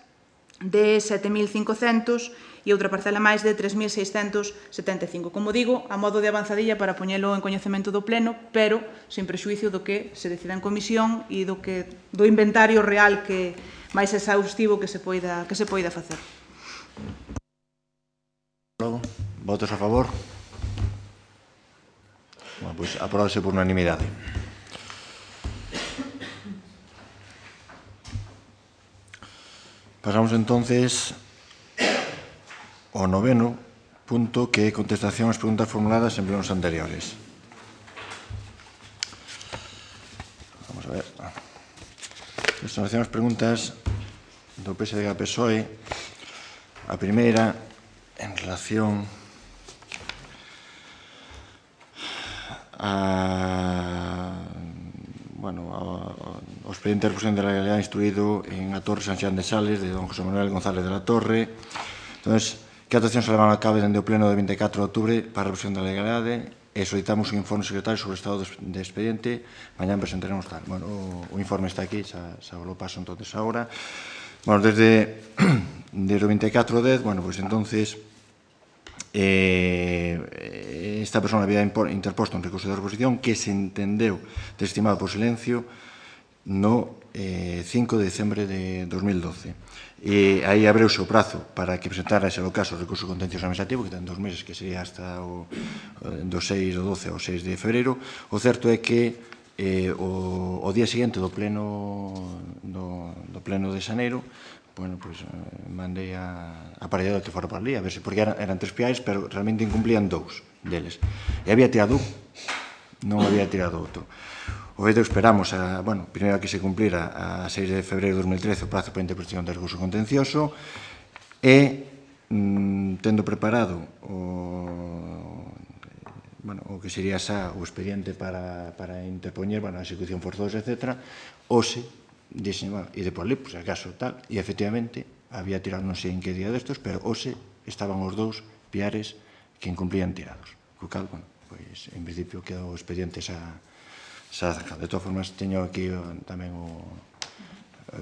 de sete mil cincocentos e outra parcela máis de tres mil seiscentos setenta e cinco. Como digo, a modo de avanzadilla para poñelo en coñecemento do pleno, pero sin prexuicio do que se decida en comisión e do que do inventario real que máis exhaustivo que se poida que se poida facer. Logo, votos a favor? Bueno, pois aprobase por unanimidade. Pasamos entonces ao noveno punto, que é contestación ás preguntas formuladas en plenos anteriores. Vamos a ver. Contestación ás preguntas do P S D G P S O E. A primeira, en relación a, bueno, ao expediente de reposición de la legalidad instruído en a Torre San Xan de Sales de don José Manuel González de la Torre. Entonces, que actuación se levaron a cabo dende o pleno de vinte e catro de outubro para a reposición da legalidade e solicitamos un informe secretario sobre o estado de expediente. Mañá presentaremos tal. Bueno, o, o informe está aquí, xa, xa lo paso entonces agora. Bueno, desde, desde o vinte e catro de dez, bueno, pues entonces eh, esta persona había interposto un recurso de reposición que se entendeu desestimado por silencio no eh, cinco de diciembre de dos mil doce. E aí abreuse o prazo para que presentara ese caso o recurso contencioso administrativo, que ten dos meses, que sería hasta o do seis do doce ao seis de febreiro. O certo é que eh, o, o día seguinte do pleno do, do pleno de xaneiro, bueno, pois, eh, mandei a, a parellada que fora para ali, a ver se, porque eran, eran tres piais, pero realmente incumplían dous deles. E había tirado un, non había tirado outro. O vedo esperamos, a, bueno, primeiro que se cumplira a seis de febreiro de dos mil trece o prazo para a interpretación do recurso contencioso e, mm, tendo preparado o, bueno, o que sería xa o expediente para, para interpoñer, bueno, a execución forzosa, etcétera, hoxe, dixen, bueno, e depois ali, pues, acaso tal, e efectivamente, había tirado non sei en que día destos, pero hoxe estaban os dous piares que incumplían tirados. Co cal, bueno, pois, en principio, quedou o expediente xa xa sacado. De todas formas, teño aquí tamén o,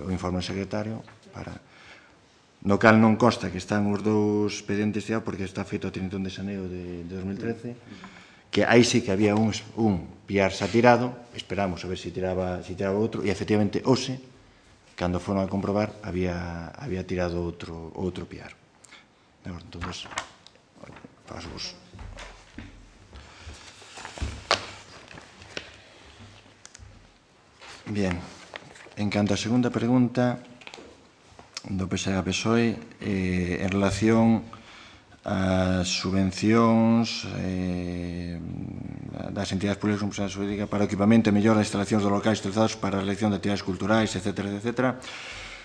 o informe do secretario para no cal non consta que están os dous expedientes ya porque está feito a trinta e un de xaneiro de dos mil trece, que aí sí que había un, un piar xa tirado, esperamos a ver se tiraba, si tiraba outro, e efectivamente hoxe, cando foron a comprobar, había, había tirado outro, outro piar. Entón, paso vos. Bien, en canto a segunda pregunta do P S A P S O E, eh, en relación ás subvencións eh, das entidades públicas con personal jurídica para o equipamento e mellora das instalacións dos locais utilizados para a realización de actividades culturais, etcétera, etcétera.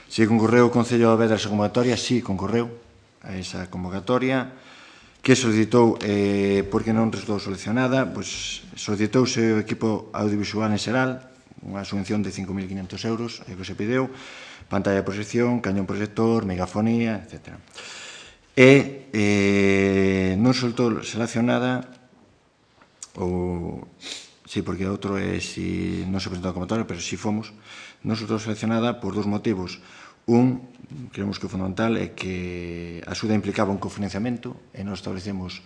Si concorreu o Concello de Vedra esa convocatoria, si concorreu a esa convocatoria, que solicitou, eh, porque non resultou seleccionada, pois solicitouse o equipo audiovisual en xeral, unha subvención de cinco mil quinhentos euros, é o que se pideu, pantalla de proxección, cañón proxector, megafonía, etcétera. E eh, non resultou seleccionada, ou, sí, porque outro é si non se presentou a convocatoria, pero si fomos, non resultou seleccionada por dous motivos. Un, creemos que o fundamental é que a axuda implicaba un cofinanciamento e non establecemos,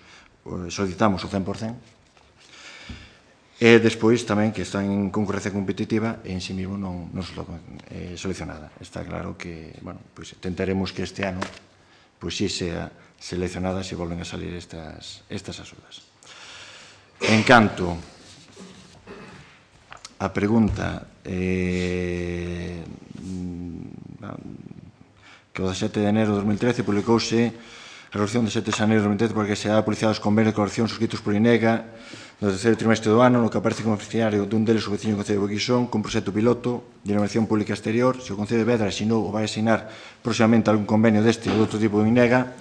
solicitamos o cen por cen. E despois tamén que está en concurrencia competitiva e en si mesmo non, non resultou eh, seleccionada. Está claro que, bueno, pues tentaremos que este ano pois si sea seleccionada se volven a salir estas, estas axudas. En canto a pregunta eh, que o dezasete de enero de dos mil trece publicouse a resolución de sete de xaneiro de dos mil trece porque se ha publicado os convenios de colaboración suscritos por INEGA no terceiro trimestre do ano, no que aparece como beneficiario dun deles o veciño do Concello de Boquixón con proxecto piloto de iluminación pública exterior. Se o Concello de Vedra asinou ou vai asinar próximamente algún convenio deste ou de outro tipo de INEGA,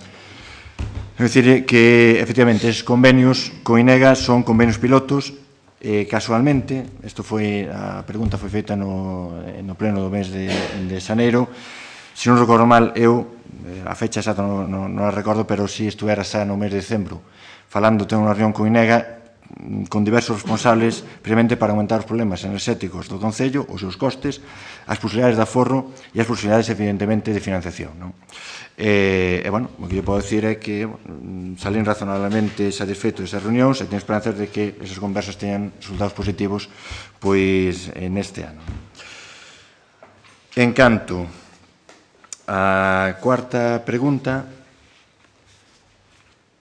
é dicir que, efectivamente, esses convenios con INEGA son convenios pilotos. Eh, casualmente, isto foi, a pregunta foi feita no, no pleno do mes de, de xaneiro, se non recordo mal, eu, a fecha exata non, non, non a recordo, pero si estuvera xa no mes de decembro, falando, tengo unha reunión con INEGA, con diversos responsables, precisamente para aumentar os problemas enerxéticos do Concello, os seus costes, as posibilidades de aforro e as posibilidades, evidentemente, de financiación. Non? E, e, bueno, o que eu podo dicir é que bueno, salín razonablemente satisfeito desas reunións e teño esperanzas de que esas conversas teñan resultados positivos pois neste ano. En canto a cuarta pregunta,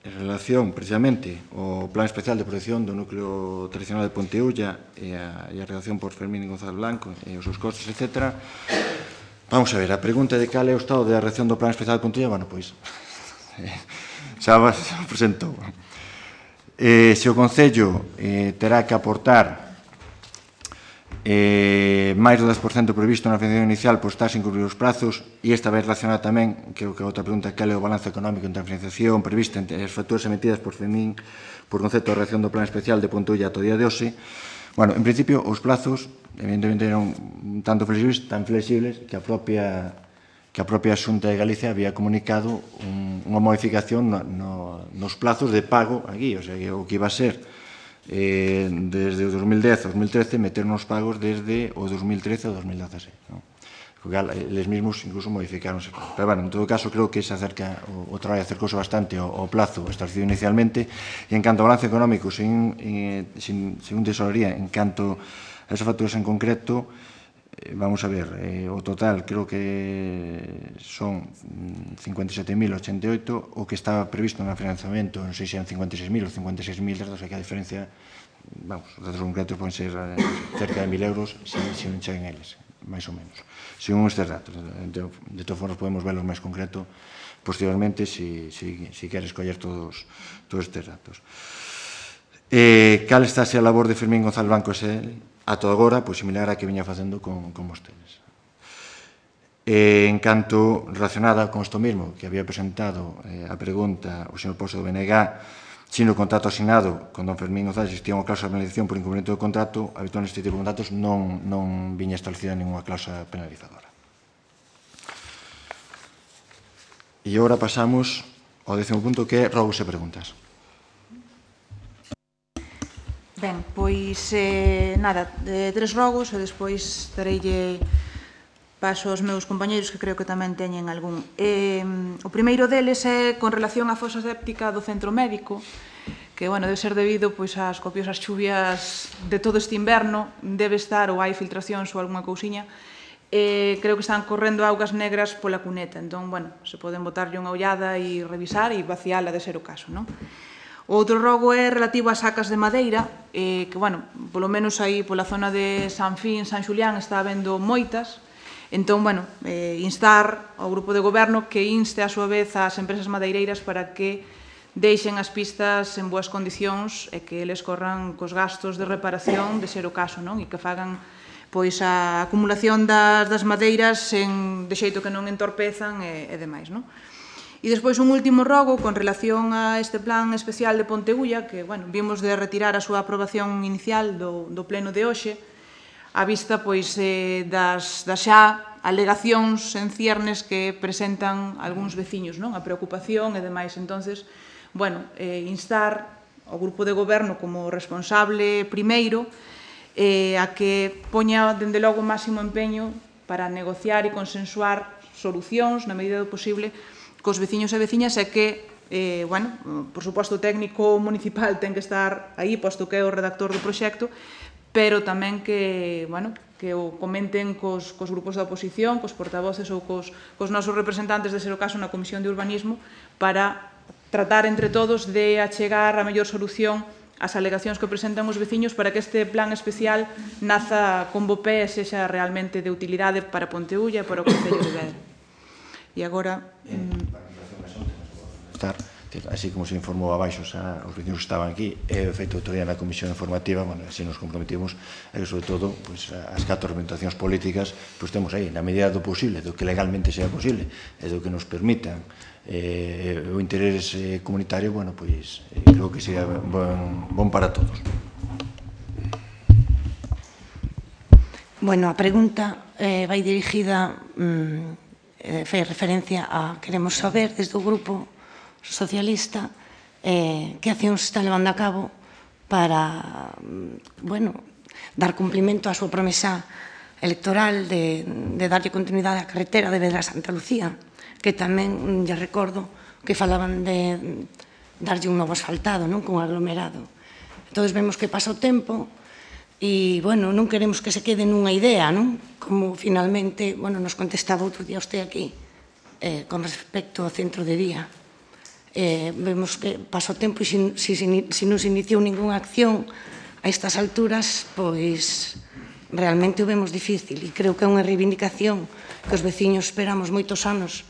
en relación, precisamente, ao Plan Especial de Protección do Núcleo Tradicional de Ponteulla e a, e a redacción por Fermín González Blanco e os seus costes, etcétera. Vamos a ver, a pregunta de cal é o estado da redacción do Plan Especial de Ponteulla, bueno, pois, xa o presentou. Eh, se o Concello eh, terá que aportar Eh, máis do dez por cento previsto na financiación inicial por estar sin cubrir os prazos e esta vez relacionada tamén, que é outra pregunta, cal é o balance económico entre a financiación prevista entre as facturas emitidas por Fermín por concepto de reacción do plan especial de Ponteulla ata o día de hoxe. Bueno, en principio, os plazos evidentemente eran tanto flexibles, tan flexibles que a propia que a propia Xunta de Galicia había comunicado un, unha modificación no, no, nos plazos de pago aquí, o sea, que o que iba a ser Eh, desde o dos mil dez ao dos mil trece meter nos pagos desde o dos mil trece ao dos mil dezaseis, ¿no? Porque eles mesmos incluso modificaronse. Pero, bueno, en todo caso, creo que se acerca, o, o traballo acercouse bastante ao, ao plazo establecido inicialmente. E en canto ao balance económico, sin, eh, sin, sin tesorería, en canto a esas facturas en concreto, eh, vamos a ver, eh, o total creo que son cincuenta e sete mil ochenta e oito, o que estaba previsto no financiamento, non sei se eran cincuenta e seis mil ou cincuenta e seis mil, o sea que a diferencia, vamos, os datos concretos poden ser cerca de mil euros se, se non cheguen eles, máis ou menos. Según estes datos, de, de todas formas podemos verlos máis concreto posteriormente se si, si, si queres coller todos, todos estes datos. Eh, cal está a labor de Fermín González Blanco S L? A todo agora, pois similar a que viña facendo con, con vostedes. E, en canto relacionada con isto mesmo, que había presentado eh, a pregunta o señor Pozo do B N G, se no contrato asignado con don Fermín González existía unha cláusula de penalización por incumplimiento do contrato, habitualmente este tipo de contratos non, non viña establecida ninguna cláusula penalizadora. E agora pasamos ao décimo punto, que é rogos e preguntas. Ben, pois, eh, nada, eh, tres rogos e despois dareille paso aos meus compañeiros que creo que tamén teñen algún. Eh, o primeiro deles é con relación á fosa séptica do centro médico, que, bueno, debe ser debido pois ás copiosas chuvias de todo este inverno, debe estar ou hai filtracións ou algunha cousiña. Eh, creo que están correndo augas negras pola cuneta, entón, bueno, se poden botarlle unha ollada e revisar e vaciala de ser o caso, non? O outro rogo é relativo ás sacas de madeira, eh, que, bueno, polo menos aí pola zona de San Fin, San Xulián, está habendo moitas. Entón, bueno, eh, instar ao grupo de goberno que inste a súa vez ás empresas madeireiras para que deixen as pistas en boas condicións e que eles corran cos gastos de reparación de ser o caso, non? E que fagan pois a acumulación das, das madeiras en, de xeito que non entorpezan e, e demais, non? E despois un último rogo con relación a este plan especial de Ponteulla, que, bueno, vimos de retirar a súa aprobación inicial do, do pleno de hoxe, a vista, pois, eh, das, das xa alegacións en ciernes que presentan algúns veciños, non? A preocupación e demais. Entonces, bueno, eh, instar ao grupo de goberno como responsable primeiro eh, a que poña, dende logo, o máximo empeño para negociar e consensuar solucións, na medida do posible, cos veciños e veciñas e que, eh, bueno, por suposto, o técnico municipal ten que estar aí, posto que é o redactor do proxecto, pero tamén que, bueno, que o comenten cos, cos grupos da oposición, cos portavoces ou cos, cos nosos representantes, de ser o caso, na Comisión de Urbanismo, para tratar entre todos de achegar a mellor solución ás alegacións que presentan os veciños para que este plan especial naza con bo pé e sexa realmente de utilidade para Ponteulla e para o Concello de Vedra. E agora... Estar, así como se informou abaixo xa, os vecinos que estaban aquí, é feito outro día na comisión informativa, bueno, así nos comprometimos, e que, sobre todo, pues, as catro orientacións políticas, pues, temos aí, na medida do posible, do que legalmente sea posible, e do que nos permitan eh, o interés eh, comunitario, bueno, pois, eh, creo que sería bon, bon para todos. Bueno, a pregunta eh, vai dirigida... Mm, eh, fai referencia a queremos saber desde o grupo socialista eh, que accións se está levando a cabo para, bueno, dar cumplimento á súa promesa electoral de, de darlle continuidade á carretera de Vedra a Santa Lucía, que tamén, lle recordo, que falaban de darlle un novo asfaltado, non, cun aglomerado. Entón, vemos que pasa o tempo e, bueno, non queremos que se quede nunha idea, non? Como, finalmente, bueno, nos contestaba outro día usted aquí, eh, con respecto ao centro de día. Eh, vemos que pasa o tempo e se si, si, si non se iniciou ninguna acción a estas alturas, pois realmente o vemos difícil e creo que é unha reivindicación que os veciños esperamos moitos anos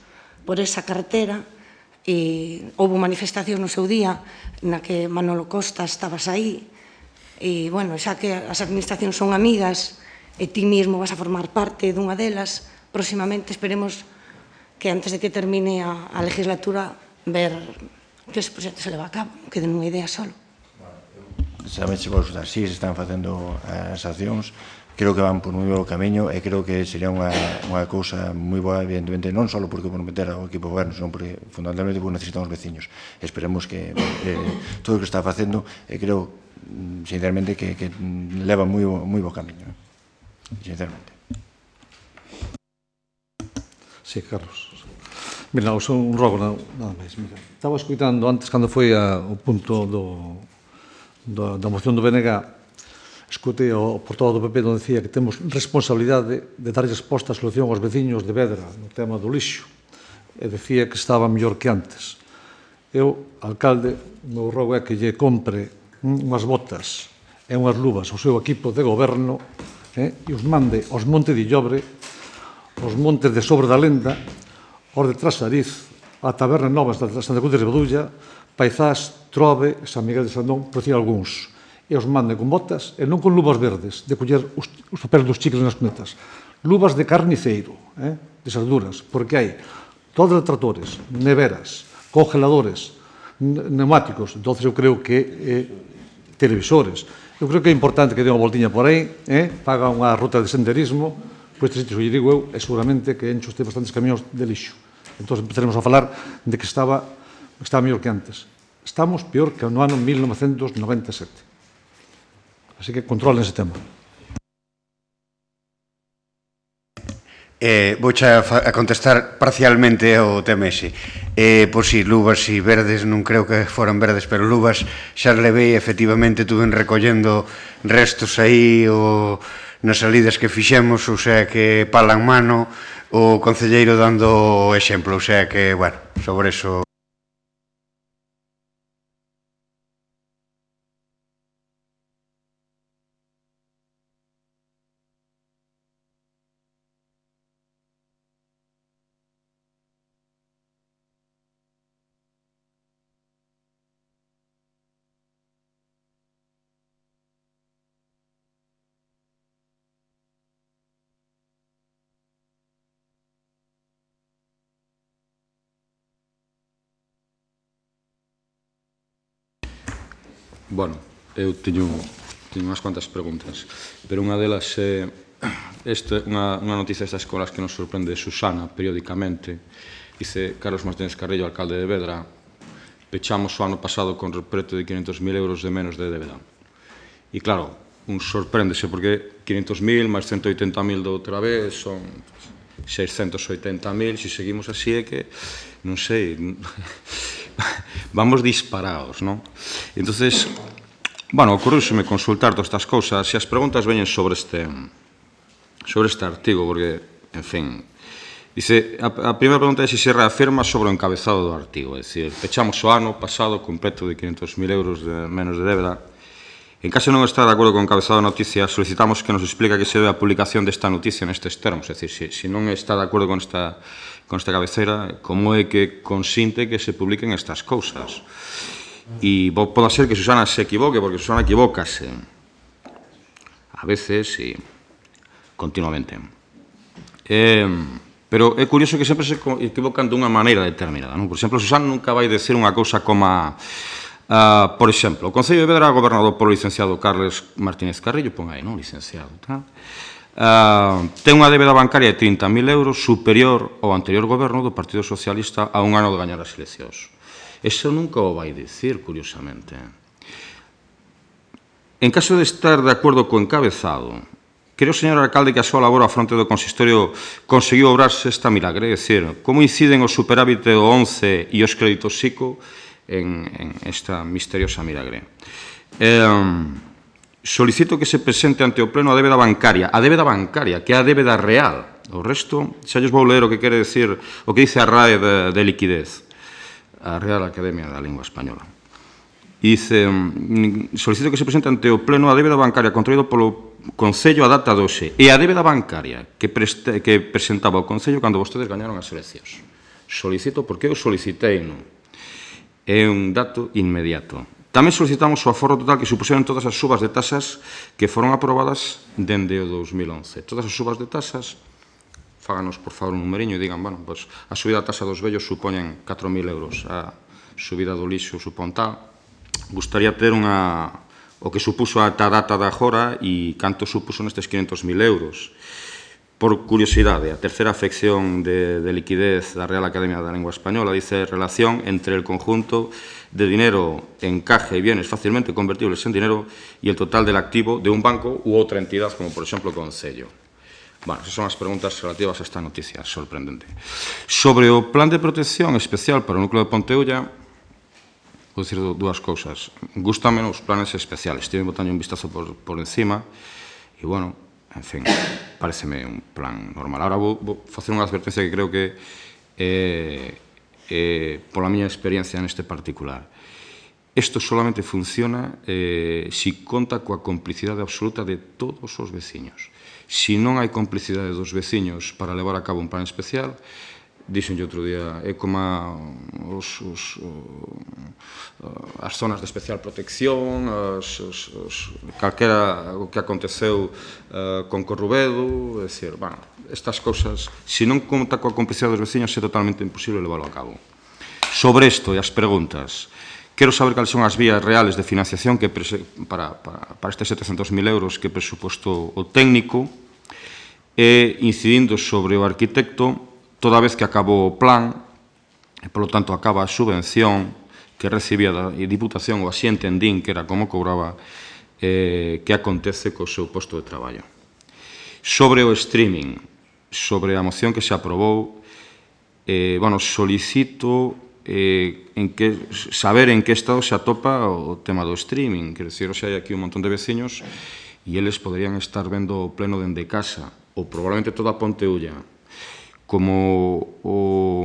por esa carretera e houve manifestación no seu día na que Manolo Costa estabas aí e, bueno, xa que as administracións son amigas e ti mesmo vas a formar parte dunha delas, próximamente esperemos que antes de que termine a, a legislatura ver que ese proxecto se leva a cabo, non quede nunha idea solo. Saben se vos dar, si se están facendo as accións, creo que van por un bo camiño e creo que sería unha, unha cousa moi boa, evidentemente, non só porque por meter ao equipo goberno, senón porque fundamentalmente porque necesitamos veciños. Esperemos que eh, todo o que está facendo, e eh, creo, sinceramente, que, que leva moi, moi bo camiño, eh? Sinceramente. Sí, Carlos. Mira, son un rogo, nada máis. Mira, estaba escuitando antes, cando foi a, o punto do, do, da moción do B N G, escutei o portavoz do P P onde decía que temos responsabilidade de dar resposta a solución aos veciños de Vedra no tema do lixo. E decía que estaba mellor que antes. Eu, alcalde, o meu rogo é que lle compre unhas botas e unhas luvas ao seu equipo de goberno eh, e os mande aos Montes de Illobre, aos montes de Sobre da Lenda, aos de Trasariz, a Taberna Novas da Santa Cruz de Ribadulla, Paizás, Trove, San Miguel de Sandón, por decir algúns. E os manden con botas e non con luvas verdes, de coller os, os papeles dos chicles nas cunetas. Luvas de carniceiro, eh, de esas duras, porque hai todos os tratores, neveras, congeladores, neumáticos. Entón, eu creo que eh, televisores. Eu creo que é importante que dê unha voltiña por aí, eh, paga unha ruta de senderismo, por estes sitios, lle digo eu, é seguramente que enche usted bastantes camións de lixo. Entón, empezaremos a falar de que estaba, estaba mellor que antes. Estamos peor que no ano mil novecentos noventa e sete. Así que controlen ese tema. Eh, vouche a, a contestar parcialmente ao tema ese. Eh, pois si, luvas e verdes, non creo que foran verdes, pero luvas xa levei, efectivamente, tuve recollendo restos aí o, nas salidas que fixemos, ou sea que palan mano, o concelleiro dando exemplo, ou sea que, bueno, sobre eso... Bueno, eu teño, teño unhas cuantas preguntas, pero unha delas é este, unha, unha noticia destas colas que nos sorprende de Susana periódicamente. Dice Carlos Martínez Carrillo, alcalde de Vedra, pechamos o ano pasado con preto de quinhentos mil euros de menos de débeda. E claro, un sorpréndese porque quinhentos mil máis ciento oitenta mil de outra vez son seiscentos oitenta mil, se seguimos así é que, non sei, vamos disparados, non? Entonces, bueno, ocorreuseme consultar todas estas cousas e as preguntas veñen sobre este sobre este artigo, porque, en fin, dice, a, a primeira pregunta é se se reafirma sobre o encabezado do artigo, é dicir, pechamos o ano pasado con preto de quinhentos mil euros de menos de débeda. En caso de non estar de acordo con o encabezado da noticia, solicitamos que nos explique que se debe a publicación desta noticia nestes termos, é dicir, se, se non está de acordo con esta, con esta cabeceira, como é que consinte que se publiquen estas cousas? E pode ser que Susana se equivoque, porque Susana equivócase a veces e continuamente. Eh, pero é curioso que sempre se equivocan dunha maneira determinada, non? Por exemplo, Susana nunca vai decir unha cousa como a, Uh, por exemplo, o Concello de Vedra gobernado polo licenciado Carlos Martínez Carrillo, pon aí, non, licenciado, tá? Uh, ten unha débeda bancaria de trinta mil euros superior ao anterior goberno do Partido Socialista a un ano de gañar as eleccións. Eso nunca o vai dicir, curiosamente. En caso de estar de acordo co encabezado, creo, señor alcalde, que a súa labor a fronte do consistorio conseguiu obrarse esta milagre, é dicir, como inciden o superávit do once e os créditos SICO en, en esta misteriosa milagre. Eh, solicito que se presente ante o Pleno a débeda bancaria, a débeda bancaria, que é a débeda real. O resto, xa lles vou ler o que quere decir, o que dice a R A E de, de liquidez, a Real Academia da Lingua Española. Dice, solicito que se presente ante o Pleno a débeda bancaria contraído polo Concello a data doce e a débeda bancaria que, preste, que presentaba o Concello cando vostedes gañaron as eleccións. Solicito, porque eu solicitei, non? É un dato inmediato. Tamén solicitamos o aforro total que supuseron todas as subas de tasas que foron aprobadas dende o dous mil once. Todas as subas de tasas, fáganos, por favor, un numeriño e digan, bueno, pues, a subida da tasa dos vellos supoñen catro mil euros, a subida do lixo supón tal. Gustaría ter unha, o que supuso a ta data da agora e canto supuso nestes quinhentos mil euros. Por curiosidade, a terceira afección de, de liquidez da Real Academia da Lengua Española dice relación entre el conjunto de dinero en caja y bienes fácilmente convertibles en dinero y el total del activo de un banco u outra entidad, como por exemplo Concello. Bueno, esas son as preguntas relativas a esta noticia sorprendente. Sobre o plan de protección especial para o núcleo de Ponteulla, vou dicir dúas cousas. Gústame os planes especiales, estive botando un vistazo por, por encima e, bueno, en fin, pareceme un plan normal. Ahora vou, vou facer unha advertencia que creo que é, é pola miña experiencia neste particular. Isto solamente funciona eh, si conta coa complicidade absoluta de todos os veciños. Si non hai complicidade dos veciños para levar a cabo un plan especial, dixen outro día, é como os, os, as zonas de especial protección, os, os, os, calquera o que aconteceu uh, con Corrubedo, é dicir, bueno, estas cousas, se non conta coa complicidade dos veciños, é totalmente imposible leválo a cabo. Sobre isto e as preguntas, quero saber cales son as vías reales de financiación que para, para, para estes setecentos mil euros que presupostou o técnico e incidindo sobre o arquitecto, toda vez que acabou o plan, e, polo tanto, acaba a subvención que recibía da Diputación, ou así entendín que era como cobraba, eh, que acontece co seu posto de traballo. Sobre o streaming, sobre a moción que se aprobou, eh, bueno, solicito eh, en que, saber en que estado se atopa o tema do streaming. Quero dicir, xe hai aquí un montón de veciños e eles poderían estar vendo o pleno dende casa, ou probablemente toda a Ponteulla. Como o,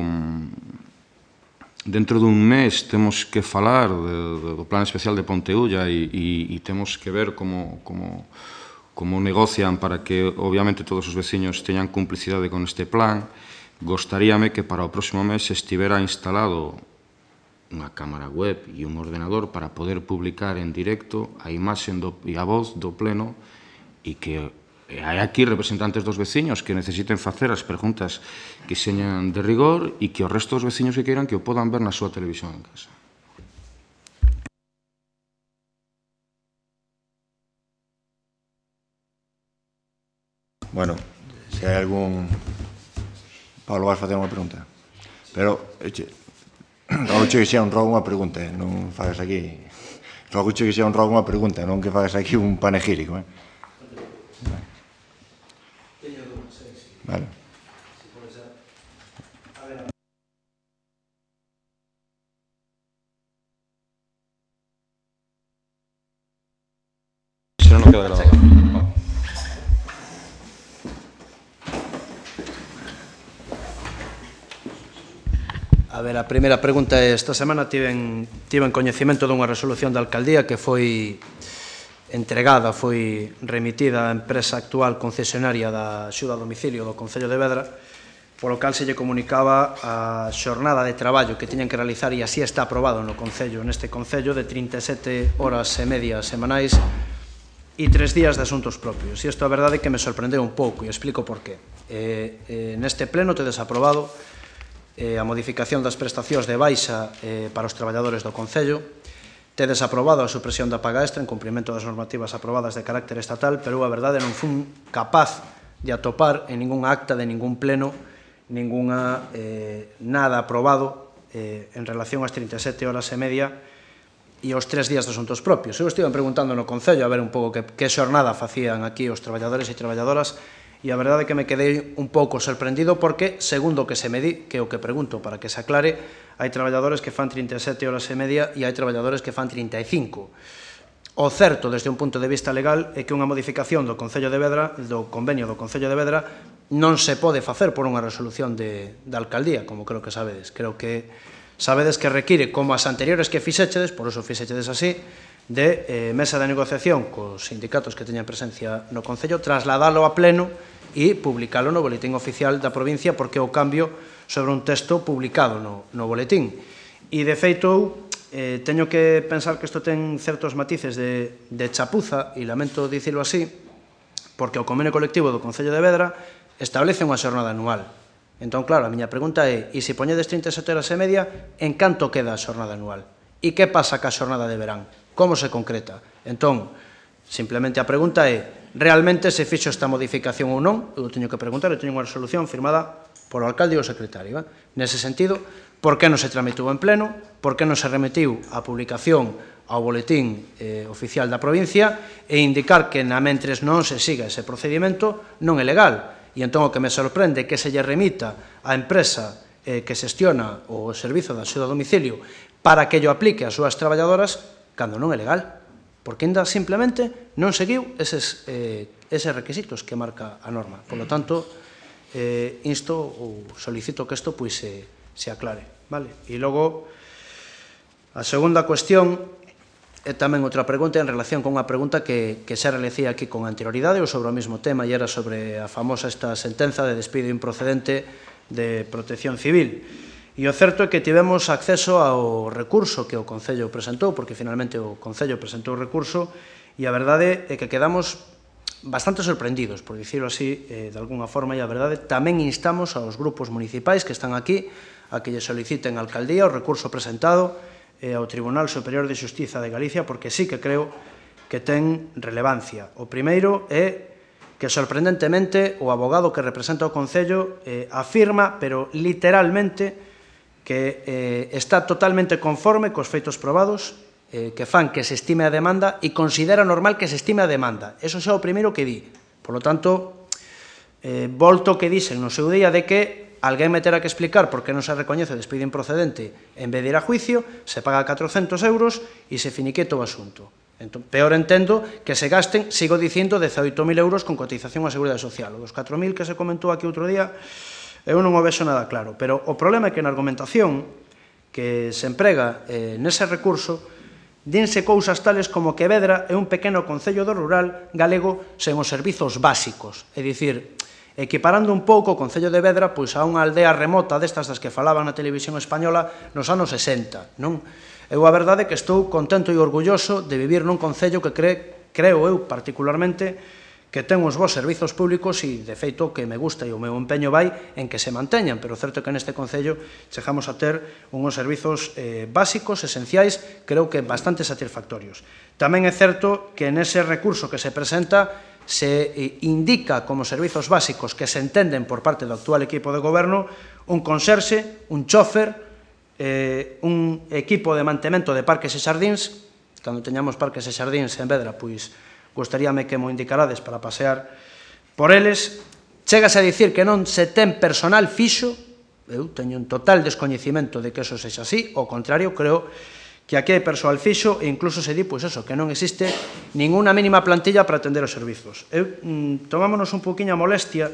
dentro dun mes temos que falar de, do plan especial de Ponteulla e, e, e temos que ver como, como, como negocian para que, obviamente, todos os veciños teñan complicidade con este plan. Gostaríame que para o próximo mes estivera instalado unha cámara web e un ordenador para poder publicar en directo a imaxe e a voz do pleno e que hai aquí representantes dos veciños que necesiten facer as preguntas que señan de rigor e que o resto dos veciños que queiran que o podan ver na súa televisión en casa. Bueno, se hai algún... Pablo, vas facer unha pregunta. Pero, eche, rogo che que xa un rogo unha pregunta, eh? Non fagas aquí... Rogo che que xa un rogo unha pregunta, non que fagas aquí un panegírico, eh? Vale. Se non queda grabado. A ver, a primeira pregunta é, esta semana tiven, tiven coñecimento dunha resolución da alcaldía que foi entregada, foi remitida á empresa actual concesionaria da axuda a domicilio do Concello de Vedra, polo cal se lle comunicaba a xornada de traballo que tiñan que realizar, e así está aprobado no Concello, neste Concello, de trinta e sete horas e media semanais e tres días de asuntos propios. E isto a verdade que me sorprendeu un pouco, e explico por qué. Eh, eh, neste pleno tedes aprobado eh, a modificación das prestacións de baixa eh, para os traballadores do Concello, tedes aprobado a supresión da paga extra en cumprimento das normativas aprobadas de carácter estatal, pero a verdade non fun capaz de atopar en ningún acta de ningún pleno ninguna, eh, nada aprobado eh, en relación ás trinta e sete horas e media e aos tres días de asuntos propios. Eu estive preguntando no Concello a ver un pouco que, que xornada facían aquí os traballadores e traballadoras, e a verdade é que me quedei un pouco sorprendido porque, segundo o que se me di, que é o que pregunto para que se aclare, hai traballadores que fan trinta e sete horas e media e hai traballadores que fan trinta e cinco. O certo, desde un punto de vista legal, é que unha modificación do Concello de Vedra, do convenio do Concello de Vedra, non se pode facer por unha resolución de, da alcaldía, como creo que sabedes. Creo que sabedes que require, como as anteriores que fixéchedes, por iso fixéchedes así, de eh, mesa de negociación cos sindicatos que teñan presencia no Concello, trasladalo a pleno e publicalo no boletín oficial da provincia, porque é o cambio sobre un texto publicado no, no boletín. E, de feito, eh, teño que pensar que isto ten certos matices de, de chapuza, e lamento dicilo así, porque o convenio colectivo do Concello de Vedra establece unha xornada anual. Entón, claro, a miña pregunta é, e se poñedes trinta e sete horas e media, en canto queda a xornada anual? E que pasa ca xornada de verán? Como se concreta? Entón, simplemente a pregunta é, realmente se fixo esta modificación ou non? Eu teño que preguntar, eu teño unha resolución firmada polo alcalde e o secretario. Eh? Nese sentido, por que non se tramitou en pleno? Por que non se remitiu a publicación ao boletín eh, oficial da provincia e indicar que na mentres non se siga ese procedimento non é legal? E entón o que me sorprende é que se lle remita á empresa eh, que xestiona o servizo de axuda a domicilio para que yo aplique ás súas traballadoras cando non é legal, porque ainda simplemente non seguiu eses, eh, eses requisitos que marca a norma. Por lo tanto, eh, insto ou solicito que isto pois, se, se aclare. Vale? E logo, a segunda cuestión é tamén outra pregunta en relación con unha pregunta que, que xa realicía aquí con anterioridade ou sobre o mesmo tema, e era sobre a famosa esta sentenza de despido improcedente de Protección Civil. E o certo é que tivemos acceso ao recurso que o Concello presentou, porque finalmente o Concello presentou o recurso, e a verdade é que quedamos bastante sorprendidos, por dicirlo así, eh, de alguna forma, e a verdade tamén instamos aos grupos municipais que están aquí a que lle soliciten á alcaldía o recurso presentado eh, ao Tribunal Superior de Xustiza de Galicia, porque sí que creo que ten relevancia. O primeiro é que, sorprendentemente, o abogado que representa o Concello eh, afirma, pero literalmente, que eh, está totalmente conforme cos feitos probados eh, que fan que se estime a demanda e considera normal que se estime a demanda. Eso xa é o primeiro que di. Por lo tanto, Eh, volto que dixen no seu día de que alguén me terá que explicar por que non se recoñece o despido improcedente en vez de ir a juicio, se paga catrocentos euros e se finiqueta o asunto. Entón, peor entendo que se gasten, sigo dicindo, dezaoito mil euros con cotización á Seguridade Social. O dos catro mil que se comentou aquí outro día, eu non o vexo nada claro. Pero o problema é que na argumentación que se emprega eh, nese recurso, dinse cousas tales como que Vedra é un pequeno concello do rural galego sen os servizos básicos. É dicir, equiparando un pouco o concello de Vedra pois a unha aldea remota destas das que falaban na televisión española nos anos sesenta, non? Eu a verdade é que estou contento e orgulloso de vivir nun concello que cre, creo eu particularmente que ten uns bons servizos públicos e, de feito, que me gusta e o meu empeño vai en que se manteñan, pero certo é que neste concello chegamos a ter uns servizos eh, básicos, esenciais, creo que bastante satisfactorios. Tamén é certo que nese recurso que se presenta se indica como servizos básicos que se entenden por parte do actual equipo de goberno un conserxe, un chofer, eh, un equipo de mantemento de parques e xardíns. Cando teñamos parques e xardíns en Vedra, pois gostaríame que mo indicarades para pasear por eles. Chégase a dicir que non se ten personal fixo. Eu teño un total descoñecimento de que eso sexa así. Ao contrario, creo que aquí hai persoal fixo e incluso se di, pois eso, que non existe ninguna mínima plantilla para atender os servizos. Eu, mm, tomámonos un poquinho a molestia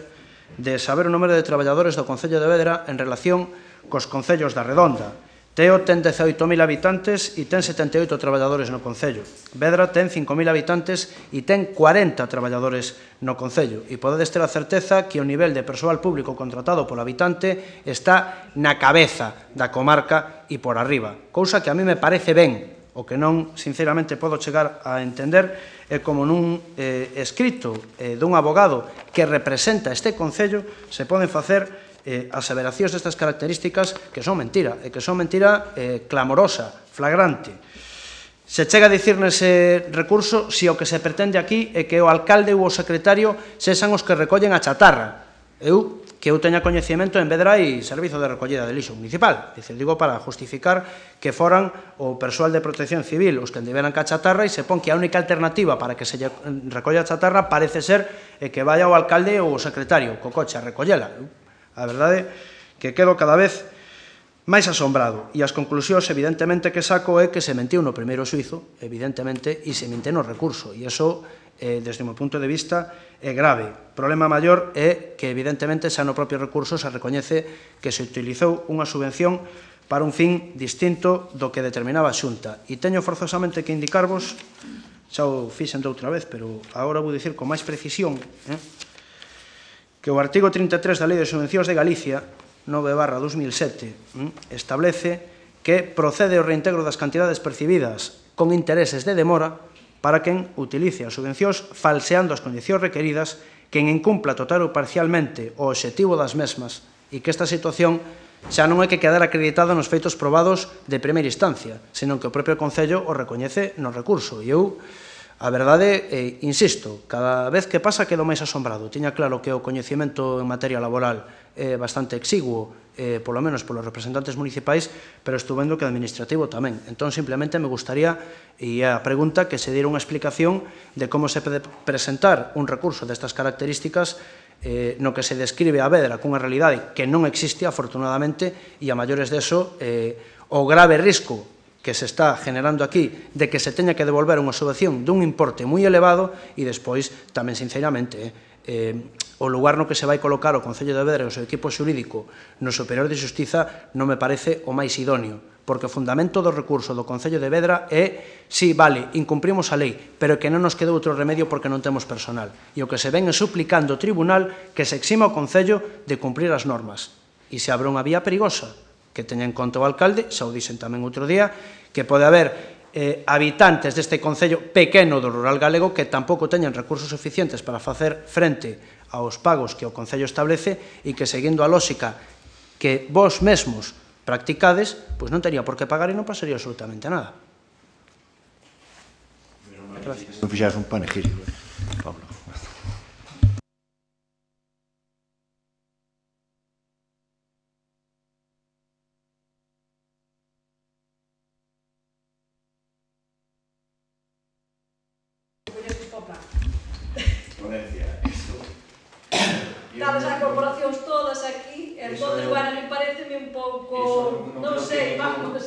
de saber o número de traballadores do Concello de Vedra en relación cos concellos da Redonda. Teo ten dezaoito mil habitantes e ten setenta e oito traballadores no Concello. Vedra ten cinco mil habitantes e ten cuarenta traballadores no Concello. E podedes ter a certeza que o nivel de persoal público contratado polo habitante está na cabeza da comarca e por arriba. Cousa que a mí me parece ben. O que non, sinceramente, podo chegar a entender é como nun eh, escrito eh, dun abogado que representa este Concello se poden facer eh, aseveracións destas características que son mentira, e que son mentira eh, clamorosa, flagrante. Se chega a dicir nese recurso si o que se pretende aquí é que o alcalde ou o secretario sexan os que recollen a chatarra. Eu, que eu teña coñecemento, en Vedra hai servizo de recollida de lixo municipal. Dice, digo para justificar que foran o persoal de protección civil os que andeveran ca chatarra e se pon que a única alternativa para que se recolla a chatarra parece ser que vaya o alcalde ou o secretario co coche a recollela. A verdade é que quedo cada vez máis asombrado e as conclusións evidentemente que saco é que se mentiu no primeiro suizo, evidentemente, e se mente no recurso, e iso, eh, desde o meu punto de vista, é grave. O problema maior é que evidentemente xa no propio recurso se recoñece que se utilizou unha subvención para un fin distinto do que determinaba a Xunta. E teño forzosamente que indicarvos, xa o fixen de outra vez, pero agora vou dicir con máis precisión, eh, que o artigo trinta e tres da Lei de Subvencións de Galicia, nove barra dos mil sete, establece que procede o reintegro das cantidades percibidas con intereses de demora para quen utilice as subvencións falseando as condicións requeridas, quen incumpla total ou parcialmente o obxectivo das mesmas e que esta situación xa non hai que quedar acreditada nos feitos probados de primeira instancia, senón que o propio Concello o recoñece no recurso. E eu, a verdade, eh, insisto, cada vez que pasa quedo máis asombrado. Tiña claro que o coñecemento en materia laboral é bastante exiguo, eh, polo menos polos representantes municipais, pero estou vendo que administrativo tamén. Entón, simplemente me gustaría, e a pregunta, que se diera unha explicación de como se pode presentar un recurso destas características eh, no que se describe a Vedra cunha realidade que non existe, afortunadamente, e a maiores deso, eh, o grave risco que se está generando aquí de que se teña que devolver unha subvención dun importe moi elevado e despois, tamén sinceramente, eh, o lugar no que se vai colocar o Concello de Vedra e o seu equipo xurídico no Superior de Xustiza non me parece o máis idóneo, porque o fundamento do recurso do Concello de Vedra é, sí, vale, incumprimos a lei, pero que non nos quedou outro remedio porque non temos personal. E o que se ven é suplicando ao tribunal que se exima o Concello de cumprir as normas. E se abre unha vía perigosa, que teña en conta o alcalde, xa o dixen tamén outro día, que pode haber eh, habitantes deste concello pequeno do rural galego que tampouco teñen recursos suficientes para facer frente aos pagos que o concello establece e que, seguindo a lógica que vos mesmos practicades, pois non tería por que pagar e non pasaría absolutamente nada. Gracias. Non fixaras un panegírico, Pablo. corporacións todas aquí, entón, bueno, me pareceme un pouco, non sei, vamos.